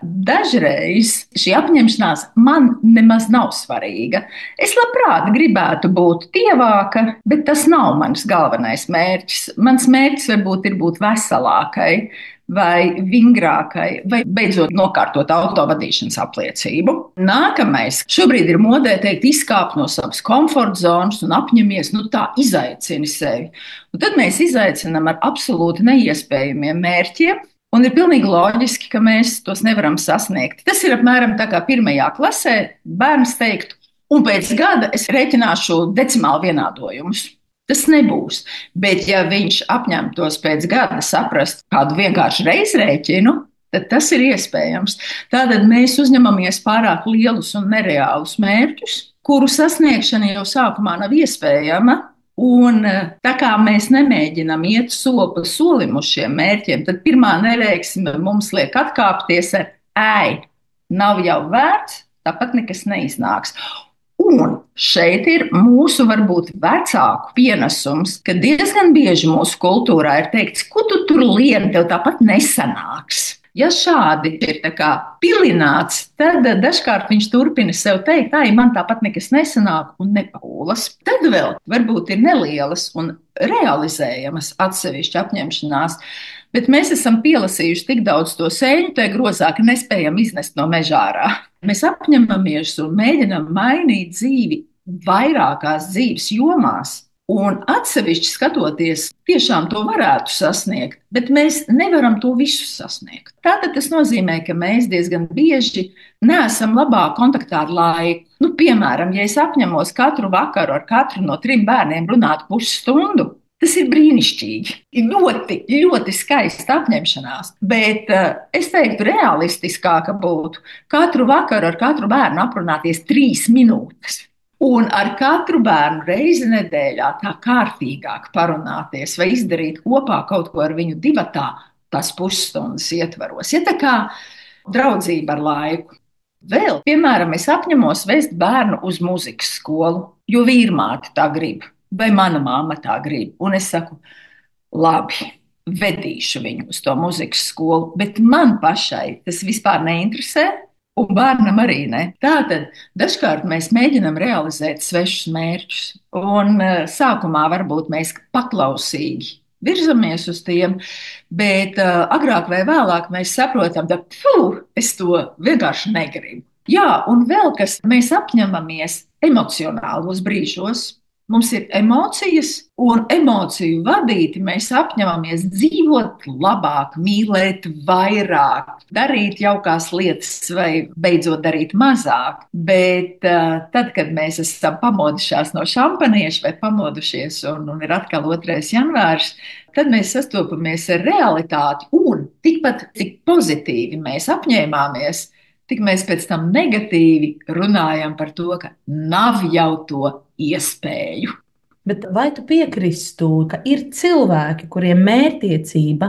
G: Dažreiz šī apņemšanās man nemaz nav svarīga. Es labprāt gribētu būt tievāka, bet tas nav mans galvenais mērķis. Mans mērķis varbūt ir būt veselākai vai vingrākai, vai beidzot nokārtot autovadīšanas apliecību. Nākamais. Šobrīd ir modē teikt, izkāp no savas komforta zonas un apņemies, tā izaicini sevi. Un tad mēs izaicinām ar absolūti neiespējamiem mērķiem, un ir pilnīgi loģiski, ka mēs tos nevaram sasniegt. Tas ir apmēram tā kā 1. klasē bērns teiktu, un pēc gada es rēķināšu decimālu vienādojumus. Tas nebūs. Bet, ja viņš apņemtos pēc gada saprast kādu vienkāršu reizrēķinu, tad tas ir iespējams. Tātad mēs uzņemamies pārāk lielus un nereālus mērķus, kuru sasniegšana jau sākumā nav iespējama. Un tā kā mēs nemēģinām iet soli pa solim uz šiem mērķiem, tad pirmā neveiksme mums liek atkāpties ar nav jau vērts, tāpat nekas neiznāks. Un šeit ir mūsu varbūt vecāku pienesums, ka diezgan bieži mūsu kultūrā ir teikts, ko tu tur lieni, tev tāpat nesanāks. Ja šādi ir pilināts, tad dažkārt viņš turpina sev teikt, man tāpat nekas nesanāk un nepūlas. Tad vēl varbūt ir nelielas un realizējamas atsevišķi apņemšanās, bet mēs esam pielasījuši tik daudz to sēņu tajā grozā, ka nespējam iznest no meža ārā. Mēs apņemamies un mēģinam mainīt dzīvi vairākās dzīves jomās. Un atsevišķi skatoties, tiešām to varētu sasniegt, bet mēs nevaram to visu sasniegt. Tātad tas nozīmē, ka mēs diezgan bieži neesam labā kontaktā ar laiku. Piemēram, ja es apņemos katru vakaru ar katru no 3 bērniem runāt pusstundu, tas ir brīnišķīgi. Ir ļoti, ļoti skaista apņemšanās, bet es teiktu, realistiskāka būtu katru vakaru ar katru bērnu aprunāties 3 minūtes. Un ar katru bērnu reizi nedēļā tā kārtīgāk parunāties vai izdarīt kopā kaut ko ar viņu divatā, tās pusstundas ietvaros. Ja tā kā draudzība ar laiku. Vēl, piemēram, es apņemos vest bērnu uz muzikas skolu, jo vīrmāte tā grib, vai mana mamma tā grib. Un es saku, labi, vedīšu viņu uz to muzikas skolu, bet man pašai tas vispār neinteresē. Un bērnam arī ne. Tātad dažkārt mēs mēģinām realizēt svešus mērķus, un sākumā varbūt mēs paklausīgi virzamies uz tiem, bet agrāk vai vēlāk mēs saprotam, ka es to vienkārši negribu. Jā, un vēl kas mēs apņemamies emocionālos brīžos. Mums ir emocijas, un emociju vadīti mēs apņemamies dzīvot labāk, mīlēt vairāk, darīt jaukās lietas vai beidzot darīt mazāk. Bet tad, kad mēs esam pamodušās no šampanieša vai pamodušies un ir atkal 2. janvārs, tad mēs sastopamies ar realitāti un tikpat cik pozitīvi mēs apņēmāmies, tik mēs pēc tam negatīvi runājam par to, ka nav jau to iespēju.
C: Bet vai tu piekristu, ka ir cilvēki, kuriem mērķtiecība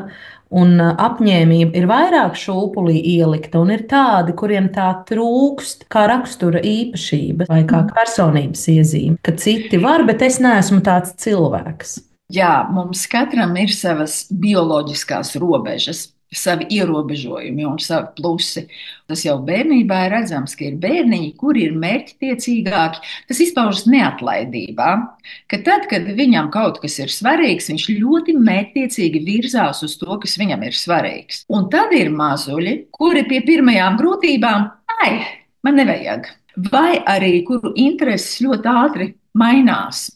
C: un apņēmība ir vairāk šūpulī ielikta, un ir tādi, kuriem tā trūkst kā rakstura īpašība vai kā personības iezīme, ka citi var, bet es neesmu tāds cilvēks?
G: Jā, mums katram ir savas bioloģiskās robežas, savi ierobežojumi un savi plusi. Tas jau bērnībā ir redzams, ka ir bērniņi, kuri ir mērķtiecīgāki. Tas izpaužas neatlaidībā, ka tad, kad viņam kaut kas ir svarīgs, viņš ļoti mērķtiecīgi virzās uz to, kas viņam ir svarīgs. Un tad ir mazuļi, kuri pie pirmajām grūtībām, man nevajag. Vai arī, kuru intereses ļoti ātri mainās.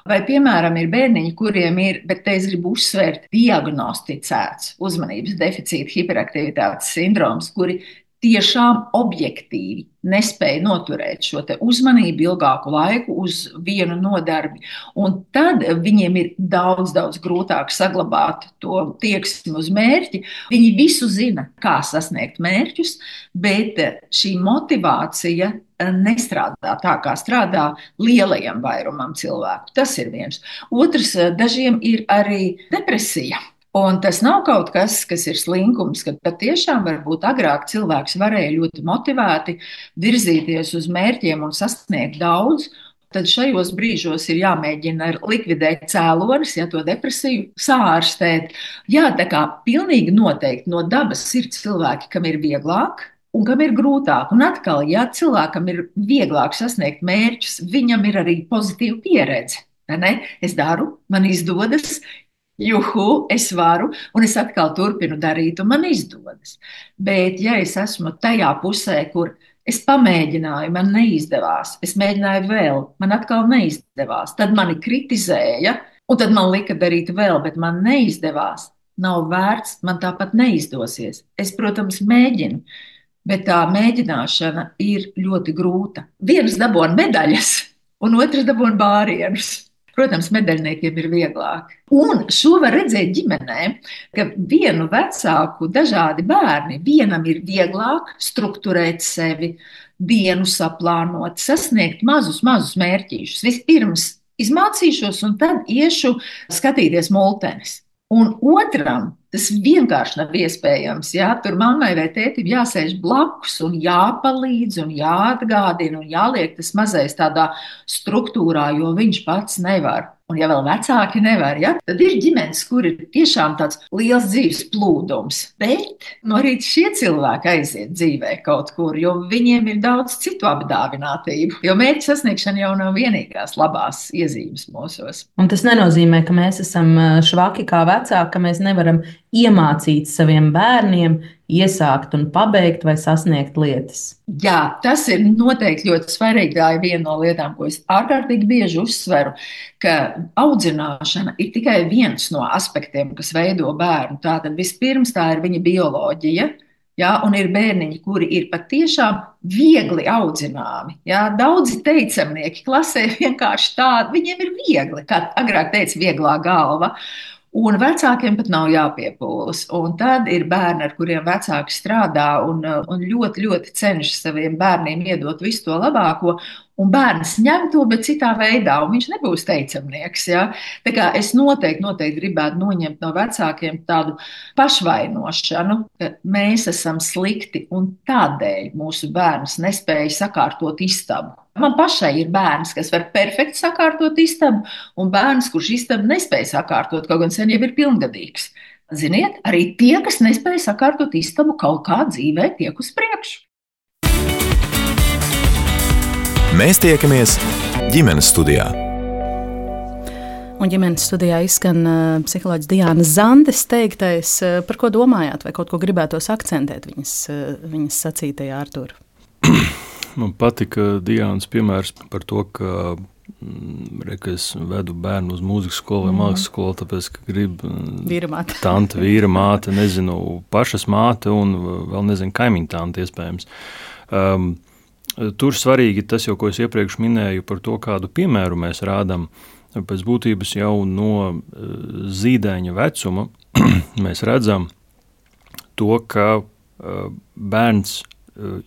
G: Vai, piemēram, ir bērniņi, kuriem ir, bet te es gribu uzsvērt, diagnosticēts uzmanības deficīta hiperaktivitātes sindroms, kuri tiešām objektīvi nespēja noturēt šo te uzmanību ilgāku laiku uz vienu nodarbi. Un tad viņiem ir daudz, daudz grūtāk saglabāt to tieksmi uz mērķi. Viņi visu zina, kā sasniegt mērķus, bet šī motivācija nestrādā tā, kā strādā lielajam vairumam cilvēku. Tas ir viens. Otrs, dažiem ir arī depresija. Un tas nav kaut kas, kas ir slinkums, kad patiešām varbūt agrāk cilvēks varēja ļoti motivēti virzīties uz mērķiem un sasniegt daudz. Tad šajos brīžos ir jāmēģina likvidēt cēlonis, ja to depresiju sārstēt. Jā, tā kā pilnīgi noteikti no dabas ir cilvēki, kam ir vieglāk un kam ir grūtāk. Un atkal, ja cilvēkam ir vieglāk sasniegt mērķus, viņam ir arī pozitīva pieredze. Ne? Es daru, man izdodas. Juhu, es varu, un es atkal turpinu darīt, un man izdodas. Bet, ja es esmu tajā pusē, kur es pamēģināju, man neizdevās, es mēģināju vēl, man atkal neizdevās, tad mani kritizēja, un tad man lika darīt vēl, bet man neizdevās, nav vērts, man tāpat neizdosies. Es, protams, mēģinu, bet tā mēģināšana ir ļoti grūta. Viens dabūna medaļas, un otrs dabūna bārienus. Protams, medaļniekiem ir vieglāk. Un šo var redzēt ģimenē, ka vienu vecāku dažādi bērni, vienam ir vieglāk strukturēt sevi, dienu saplānot, sasniegt mazus mērķīšus. Vispirms izmācīšos un tad iešu skatīties multenis. Un otram tas vienkārši nav iespējams. Jā, tur mammai vai tētim jāsēž blakus un jāpalīdz un jāatgādina un jāliek tas mazais tādā struktūrā, jo viņš pats nevar. Un ja vēl vecāki nevar, ja, tad ir ģimenes, kur ir tiešām tāds liels dzīves plūdums. Bet no rīta šie cilvēki aiziet dzīvē kaut kur, jo viņiem ir daudz citu apdāvinātību. Jo mērķa sasniegšana jau nav vienīgās labās iezīmes mūsos.
C: Un tas nenozīmē, ka mēs esam švaki kā vecāki, ka mēs nevaram iemācīt saviem bērniem iesākt un pabeigt vai sasniegt lietas.
G: Jā, tas ir noteikti ļoti svarīgi. Tā ir viena no lietām, ko es ārkārtīgi bieži uzsveru, ka audzināšana ir tikai viens no aspektiem, kas veido bērnu. Tātad vispirms tā ir viņa bioloģija, jā, un ir bērniņi, kuri ir patiešām viegli audzināmi. Jā, daudzi teicamnieki klasē vienkārši tādi, viņiem ir viegli, kā agrāk teica, vieglā galva. Un vecākiem pat nav jāpiepūlas. Un tad ir bērni, ar kuriem vecāki strādā un ļoti, ļoti cenšas saviem bērniem iedot visu to labāko. Un bērns ņem to, bet citā veidā, un viņš nebūs teicamnieks. Ja? Tā kā es noteikti gribētu noņemt no vecākiem tādu pašvainošanu, ka mēs esam slikti un tādēļ mūsu bērns nespēja sakārtot istabu. Man pašai ir bērns, kas var perfekti sakārtot istabu, un bērns, kurš istabu nespēja sakārtot, kaut gan sen jau ir pilngadīgs. Ziniet, arī tie, kas nespēja sakārtot istabu, kaut kā dzīvē tiek uz priekšu.
B: Mēs tiekamies ģimenes studijā.
C: Un ģimenes studijā izskan psiholoģis Diānas Zandes teiktais. Par ko domājāt, vai kaut ko gribētos akcentēt viņas sacītajā, Artūr?
D: Man patika Diānas piemērs par to, ka es vedu bērnu uz mūzikas skolu vai mākslas skolu, tāpēc, ka grib tante, vīra māte, nezinu, pašas māte un vēl nezinu, kaimiņu tante iespējams. Tur svarīgi tas jau, ko es iepriekš minēju par to, kādu piemēru mēs rādam. Pēc būtības jau no zīdaiņa vecuma mēs redzam to, ka bērns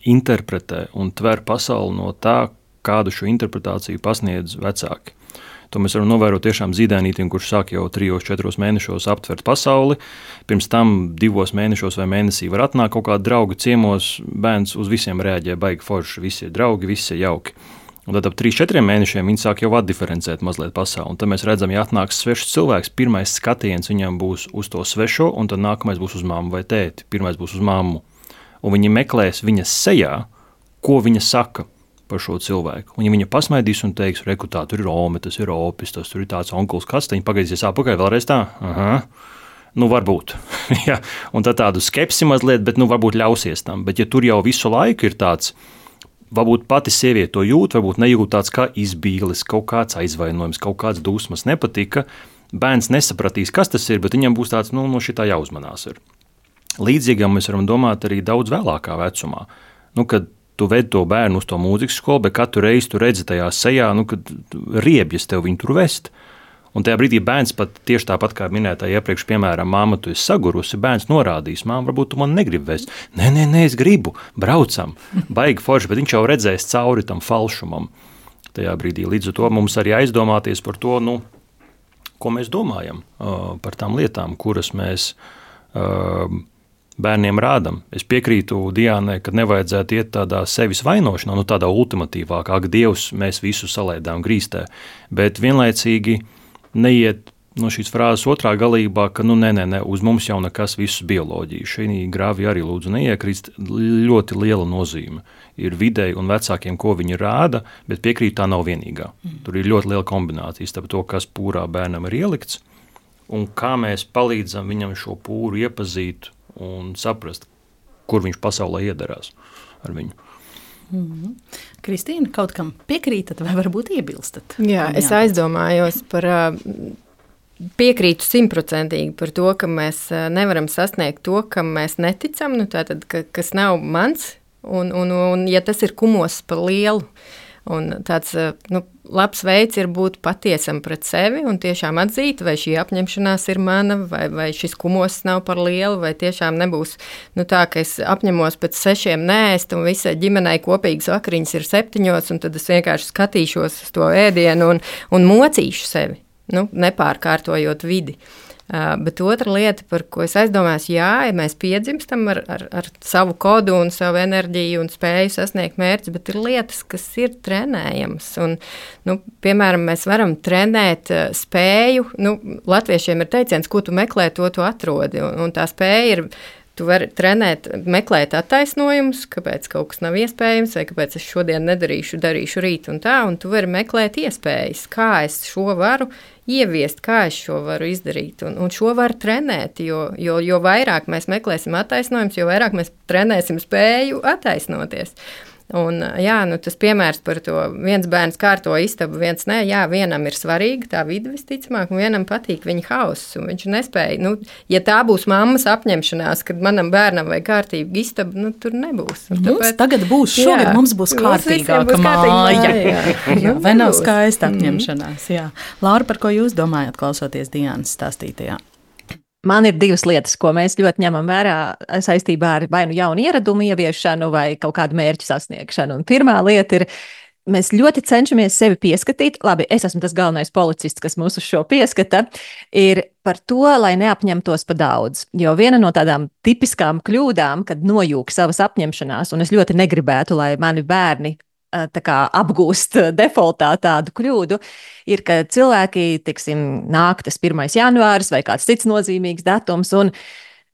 D: interpretē un tver pasauli no tā, kādu šo interpretāciju pasniedz vecāki. To mēs varam novērot tiešām zīdainītiem, kurš sāk jau 3-4 mēnešos aptvert pasauli. Pirms tam 2 mēnešos vai mēnesī var atnākt kaut kādi draugi ciemos, bērns uz visiem reaģē baigi forši, visi ir draugi, visi ir jauki. Un tad ap 3-4 mēnešiem viņi sāk jau atdiferencēt mazliet pasauli. Un tad mēs redzam, ja atnāks svešs cilvēks, pirmais skatiens viņam būs uz to svešo, un tad nākamais būs uz mammu vai tēti, pirmais būs uz mammu. Un viņi meklēs viņas sejā, ko viņa saka par šo cilvēku. Un ja viņa pasmaidīs un teiks, reku tā, tur ir Ome, tas ir Opis, tas tur ir tāds onkuls, kas, tad viņa pagaidīsies apakaļ vēlreiz tā, nu varbūt. Ja. Un tad tādu skepsi mazliet, bet nu varbūt ļausies tam. Bet ja tur jau visu laiku ir tāds Varbūt pati sieviete to jūt, varbūt nejūt tāds kā izbīlis, kaut kāds aizvainojums, kaut kāds dusmas nepatika. Bērns nesapratīs, kas tas ir, bet viņam būs tāds, no šitā jāuzmanās. Līdzīgam mēs varam domāt arī daudz vēlākā vecumā. Kad tu ved to bērnu uz to mūzikas skolu, bet katru reizi tu redzi tajā sejā, kad riebjas tev viņu tur vest. Un tajā brīdī bērns pat tieši tāpat kā minētāji iepriekš, piemēram, māma, tu esi sagurusi, bērns norādīs, māma, varbūt tu man negribi vest. Nē, es gribu, braucam, baigi forši, bet viņš jau redzēs cauri tam falšumam. Tajā brīdī līdz ar to mums arī aizdomāties par to, ko mēs domājam par tām lietām, kuras mēs bērniem rādam. Es piekrītu Diānai, ka nevajadzētu iet tādā sevis vainošanā, tādā ultimatīvākā, ka Dievs mēs visu salaidām grīstē, bet vienlaicīgi neiet no šīs frāzes otrā galībā, ka nē, uz mums jau nekas visu bioloģiju. Šī grāvī arī lūdzu neiekrist, ļoti liela nozīme. Ir videi un vecākiem, ko viņi rāda, bet piekrīt tā nav vienīgā. Tur ir ļoti liela kombinācija starp to, kas pūrā bērnam ir ielikts, un kā mēs palīdzam viņam šo pūru iepazīt un saprast, kur viņš pasaulē iedarās ar viņu.
C: Kristīna, kaut kam piekrītat vai varbūt iebilstat?
F: Jā, es aizdomājos par piekrītu 100% par to, ka mēs nevaram sasniegt to, kam mēs neticam, tātad, kas nav mans, un ja tas ir kumos par lielu, un tāds labs veids ir būt patiesam pret sevi un tiešām atzīt, vai šī apņemšanās ir mana, vai šis kumos nav par lielu, vai tiešām nebūs tā, ka es apņemos pēc 6 neēst, un visai ģimenei kopīgas vakariņas ir 7, un tad es vienkārši skatīšos uz to ēdienu un mocīšu sevi, nepārkārtojot vidi. Bet otra lieta, par ko es aizdomājos, ja mēs piedzimstam ar savu kodu un savu enerģiju un spēju sasniegt mērķus, bet ir lietas, kas ir trenējamas. Un, piemēram, mēs varam trenēt spēju. Latviešiem ir teiciens, ko tu meklē, to tu atrodi. Un tā spēja ir. Tu vari trenēt, meklēt attaisnojumus, kāpēc kaut kas nav iespējams, vai kāpēc es šodien nedarīšu, darīšu rīt un tā, un tu vari meklēt iespējas, kā es šo varu ieviest, kā es šo varu izdarīt, un šo var trenēt, jo vairāk mēs meklēsim attaisnojumus, jo vairāk mēs trenēsim spēju attaisnoties. Un, tas piemērs par to, viens bērns kārto istabu, viens nē, vienam ir svarīga tā vide visticamāk, un vienam patīk viņa hauss, un viņš nespēja. Ja tā būs mammas apņemšanās, kad manam bērnam vajag kārtīgu istabu, tur nebūs.
C: Mums tagad būs, šogad mums būs kārtīgāka māja. Vai nav skaista apņemšanās? Jā. Laura, par ko jūs domājat, klausoties Diānas stāstītajā?
E: Man ir 2 lietas, ko mēs ļoti ņemam vērā saistībā ar vai jaunu ieradumu ieviešanu vai kaut kādu mērķu sasniegšanu. Un pirmā lieta ir, mēs ļoti cenšamies sevi pieskatīt. Labi, es esmu tas galvenais policists, kas mūs uz šo pieskata, ir par to, lai neapņemtos pa daudz. Jo viena no tādām tipiskām kļūdām, kad nojūg savas apņemšanās, un es ļoti negribētu, lai mani bērni apgūst defaultā tādu kļūdu, ir, ka cilvēki, nāk tas 1. janvāris vai kāds cits nozīmīgs datums, un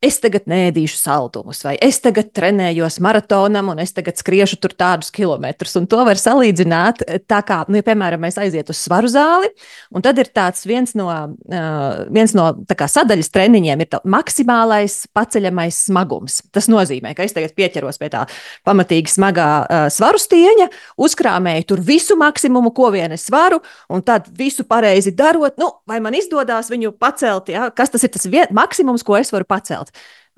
E: es tagad neēdīšu saldumus, vai es tagad trenējos maratonam, un es tagad skriešu tur tādus kilometrus. Un to var salīdzināt tā kā, piemēram, mēs aiziet uz svaru zāli, un tad ir tāds viens no tā kā sadaļas treniņiem ir maksimālais paceļamais smagums. Tas nozīmē, ka es tagad pieķeros pie tā pamatīgi smagā svaru stieņa, uzkrāmēju tur visu maksimumu, ko vien es varu, un tad visu pareizi darot, vai man izdodās viņu pacelt, kas tas ir tas maksimums, ko es varu pacelt.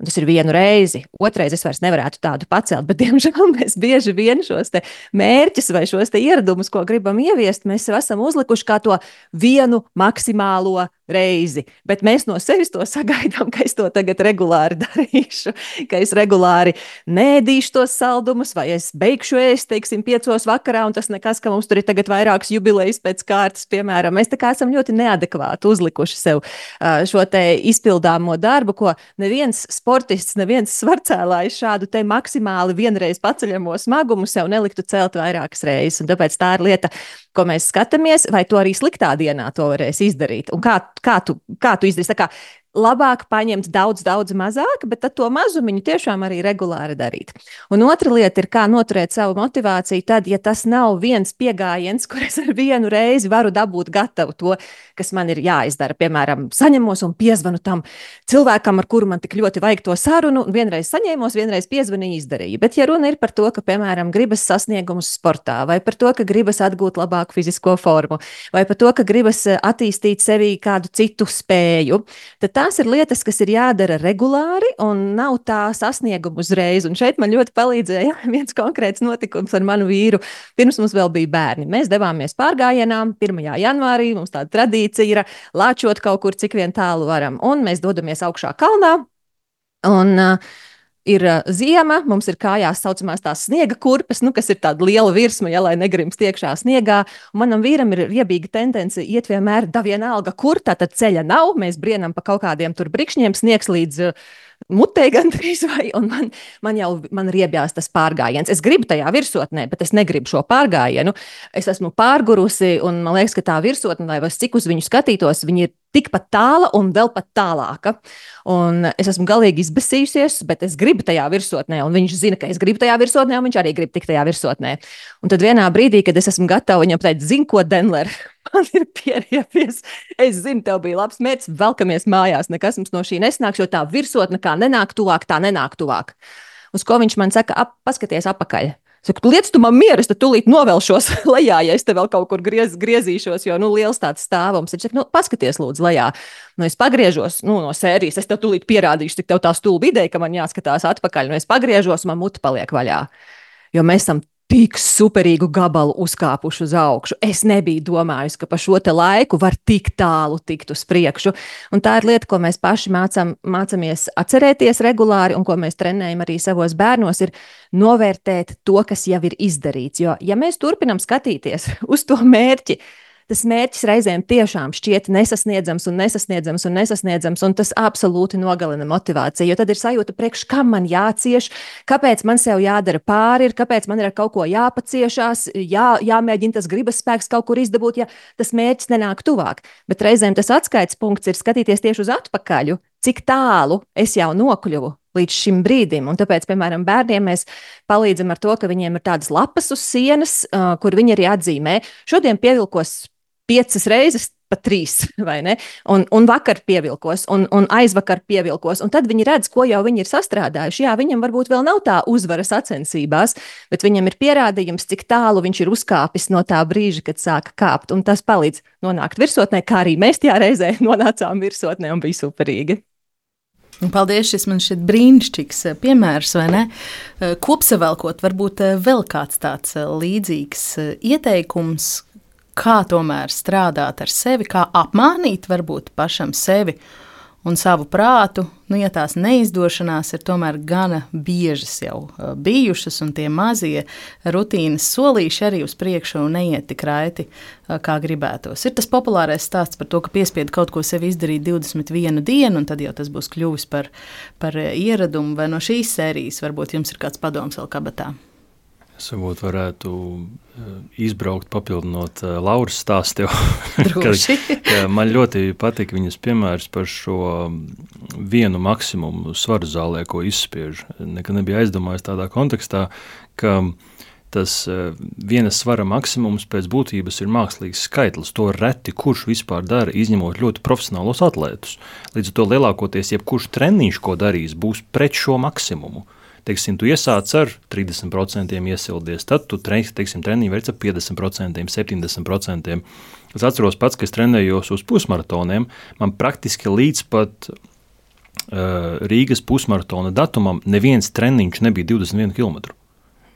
E: Un tas ir vienu reizi, otrais es vairs nevarētu tādu pacelt, bet, diemžēl, mēs bieži vien šos te mērķus vai šos te ieradumus, ko gribam ieviest, mēs esam uzlikuši kā to vienu maksimālo reizi, bet mēs no sevis to sagaidām, ka es to tagad regulāri darīšu, ka es regulāri nēdīšu tos saldumus, vai es beigšu ēst, 5 vakarā, un tas nekas, ka mums tur ir tagad vairākas jubilejas pēc kārtas, piemēram. Mēs tā kā esam ļoti neadekvāti uzlikuši sev šo te izpildāmo darbu, ko neviens sportists, neviens svarcēlājs šādu te maksimāli vienreiz paceļamo smagumu sev neliktu celt vairākas reizes, un tāpēc tā ir lieta, ko mēs skatāmies, vai to arī sliktā dienā to varēs izdarīt, un kā tu izdarīsi. Tā kā labāk paņemt daudz mazāk, bet tad to mazumiņu tiešām arī regulāri darīt. Un otra lieta ir, kā noturēt savu motivāciju tad, ja tas nav viens piegājiens, kur es ar vienu reizi varu dabūt gatavu to, kas man ir jāizdara. Piemēram, saņemos un piezvanu tam cilvēkam, ar kuru man tik ļoti vajag to sarunu, un vienreiz saņēmos, vienreiz piezvanīju, izdarīju. Bet ja runa ir par to, ka, piemēram, gribas sasniegumus sportā, vai par to, ka gribas atgūt labāku fizisko formu, vai par to, ka gribas attīstīt sevī kādu citu spēju, tad tās ir lietas, kas ir jādara regulāri un nav tā sasniegumu uzreiz. Un šeit man ļoti palīdzēja viens konkrēts notikums ar manu vīru. Pirms mums vēl bija bērni. Mēs devāmies pārgājienā 1. janvārī. Mums tāda tradīcija ir lāčot kaut kur, cik vien tālu varam. Un mēs dodamies augšā kalnā. Un ir ziema, mums ir kājās saucamās tās sniega kurpes, kas ir tāda liela virsma, ja, lai negrimst iekšā sniegā. Un manam vīram ir riebīga tendence iet vienmēr vienalga, kur tātad ceļa nav. Mēs brienam pa kaut kādiem tur brikšņiem, sniegs līdz mutē gandrīz vai, un man riebjās tas pārgājiens. Es gribu tajā virsotnē, bet es negribu šo pārgājienu. Es esmu pārgurusi, un man liekas, ka tā virsotne, lai cik uz viņu skatītos, viņa ir tikpat tāla un vēl pat tālāka. Un es esmu galīgi izbesījusies, bet es gribu tajā virsotnē, un viņš zina, ka es gribu tajā virsotnē, un viņš arī grib tikt tajā virsotnē. Un tad vienā brīdī, kad es esmu gatava viņam teikt, zini ko, Denler, man ir pieriepies, es zinu, tev bija labs mērķis, velkamies mājās, nekas mums no šī nesnāks, jo tā virsotne kā nenāk tuvāk, tā nenāk tuvāk. Uz ko viņš man saka, paskaties apakaļ. Saku, liec tu man mieru, es tad tūlīt novelšos lejā, ja es te vēl kaut kur griezīšos, jo, liels tāds stāvums. Viņš saka, paskaties lūdzu lejā. Es pagriežos, no sērijas, es tev tūlīt pierādīšu, cik tev tā stulba ideja, ka man jāskatās atpakaļ. Es pagriežos, man muta paliek vaļā. Jo mēs esam tik superīgu gabalu uzkāpuši uz augšu. Es nebiju domājusi, ka pa šo te laiku var tik tālu tikt uz priekšu. Un tā ir lieta, ko mēs paši mācamies atcerēties regulāri un ko mēs trenējam arī savos bērnos, ir novērtēt to, kas jau ir izdarīts. Jo, ja mēs turpinam skatīties uz to mērķi, tas mērķis reizēm tiešām šķiet nesasniedzams, un tas absolūti nogalina motivāciju, jo tad ir sajūta priekš, kam man jācieš, kāpēc man sev jādara pāri, kāpēc man ir ar kaut ko jāpaciešās, jāmēģina tas gribas spēks kaut kur izdabūt, ja tas mērķis nenāk tuvāk. Bet reizēm tas atskaites punkts ir skatīties tieši uz atpakaļu, cik tālu es jau nokļuvu līdz šim brīdim. Un tāpēc, piemēram, bērniem mēs palīdzam ar to, ka viņiem ir tādas lapas uz sienas, kur viņi arī atzīmē. Šodien pievilkos 5 reizes, pat 3, vai ne? Un vakar pievilkos, un aizvakar pievilkos, un tad viņi redz, ko jau viņi ir sastrādājuši. Jā, viņam varbūt vēl nav tā uzvara sacensībās, bet viņam ir pierādījums, cik tālu viņš ir uzkāpis no tā brīža, kad sāka kāpt, un tas palīdz nonākt virsotnē, kā arī mēs tajā reizē nonācām virsotnē, un bija superīgi.
C: Paldies, šis man šķiet brīnišķīgs piemērs, vai ne? Kopsavilkot, varbūt vēl kāds tāds līdzīgs ieteikums, kā tomēr strādāt ar sevi, kā apmānīt varbūt pašam sevi un savu prātu, ja tās neizdošanās ir tomēr gana biežas jau bijušas, un tie mazie rutīnas solīši arī uz priekšu neiet tik raiti, kā gribētos. Ir tas populārais stāsts par to, ka piespiedu kaut ko sev izdarīt 21 dienu, un tad jau tas būs kļuvis par ieradumu, vai no šīs sērijas varbūt jums ir kāds padoms vēl kabatā?
D: Es varbūt varētu izbraukt, papildinot Lauras stāstu. Man ļoti patīk viņas piemērs par šo vienu maksimumu svaru zālē, ko izspiež. Nekad nebija aizdomājis tādā kontekstā, ka tas vienas svara maksimums pēc būtības ir mākslīgs skaitlis. To reti kurš vispār dara, izņemot ļoti profesionālos atlētus. Līdz ar to lielākoties jebkurš treniņš, ko darīs, būs pret šo maksimumu. Teiksim, tu iesāc ar 30% iesildies, tad tu, treniņu veic ar 50%, 70%. Es atceros pats, ka es trenējos uz pusmaratoniem, man praktiski līdz pat Rīgas pusmaratona datumam neviens treniņš nebija 21 km.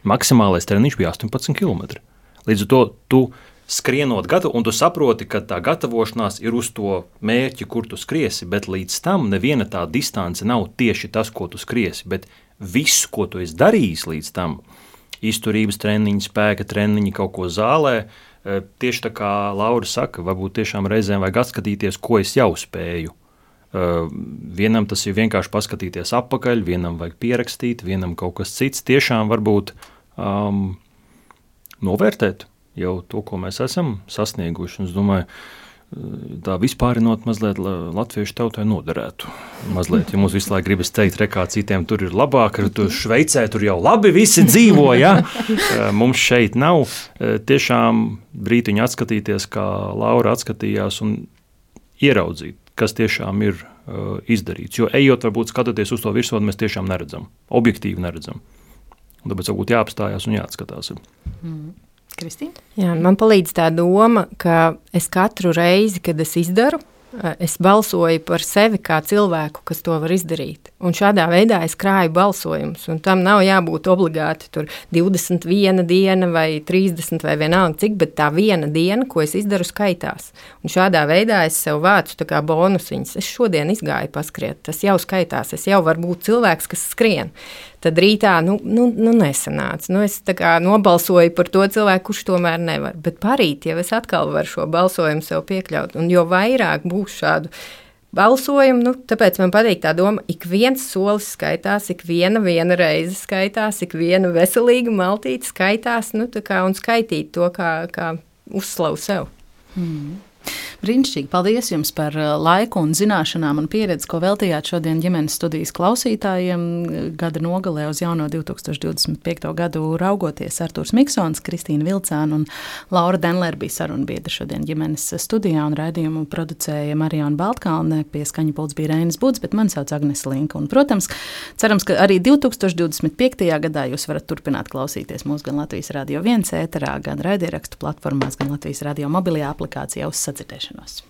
D: Maksimālais treniņš bija 18 km. Līdz ar to tu skrienot gatavu, un tu saproti, ka tā gatavošanās ir uz to mērķi, kur tu skriesi, bet līdz tam neviena tā distance nav tieši tas, ko tu skriesi, bet visu, ko tu esi darījis līdz tam, izturības treniņi, spēka treniņi, kaut ko zālē, tieši tā kā Laura saka, varbūt tiešām reizēm vajag atskatīties, ko es jau spēju. Vienam tas ir vienkārši paskatīties apakaļ, vienam vajag pierakstīt, vienam kaut kas cits, tiešām varbūt novērtēt jau to, ko mēs esam sasnieguši. Es domāju, tā vispārinot mazliet latviešu tautai noderētu. Mazliet, ja mums visu laiku gribas teikt, kā citiem tur ir labāk, tur Šveicē tur jau labi visi dzīvo, ja? Mums šeit nav. Tiešām brītiņu atskatīties, kā Laura atskatījās un ieraudzīt, kas tiešām ir izdarīts. Jo ejot, varbūt skatoties uz to virsotni, mēs tiešām neredzam, objektīvi neredzam. Un tāpēc varbūt jāapstājās un jāatskatās.
C: Kristīna?
F: Jā, man palīdz tā doma, ka es katru reizi, kad es izdaru, es balsoju par sevi kā cilvēku, kas to var izdarīt. Un šādā veidā es krāju balsojumus, un tam nav jābūt obligāti tur 21 diena vai 30 vai vienalga cik, bet tā viena diena, ko es izdaru, skaitās. Un šādā veidā es sev vācu tā kā bonusiņas. Es šodien izgāju paskriet, tas jau skaitās, es jau varu būt cilvēks, kas skrien. Tad rītā, nesanāca. Es tā kā nobalsoju par to cilvēku, kurš tomēr nevar. Bet parīt jau es atkal varu šo balsojumu sev piekļaut. Un jo vairāk būs šādu balsojumu, tāpēc man patīk tā doma, ik viens solis skaitās, ik viena reize skaitās, ik viena veselīga maltīte skaitās, un skaitīt to kā uzslavu sev.
C: Brīnišķīgi. Paldies jums par laiku un zināšanām un pieredzi, ko veltījāt šodien ģimenes studijas klausītājiem. Gada nogalē uz jauno 2025. gadu raugoties Artūrs Miksons, Kristīna Vilcāna un Laura Denlere bija sarunbiedri šodien ģimenes studijā, un raidījumu producēja Mariona Baltkalne, pie skaņa pults bija Reinis Buds, bet mani sauc Agnese Linka. Un, protams, cerams, ka arī 2025. gadā jūs varat turpināt klausīties mūsu gan Latvijas Radio 1 ēterā, gan raidierakstu platformās, gan Latvijas Radio mobilajā aplikācijā uz sadzirdēšanos.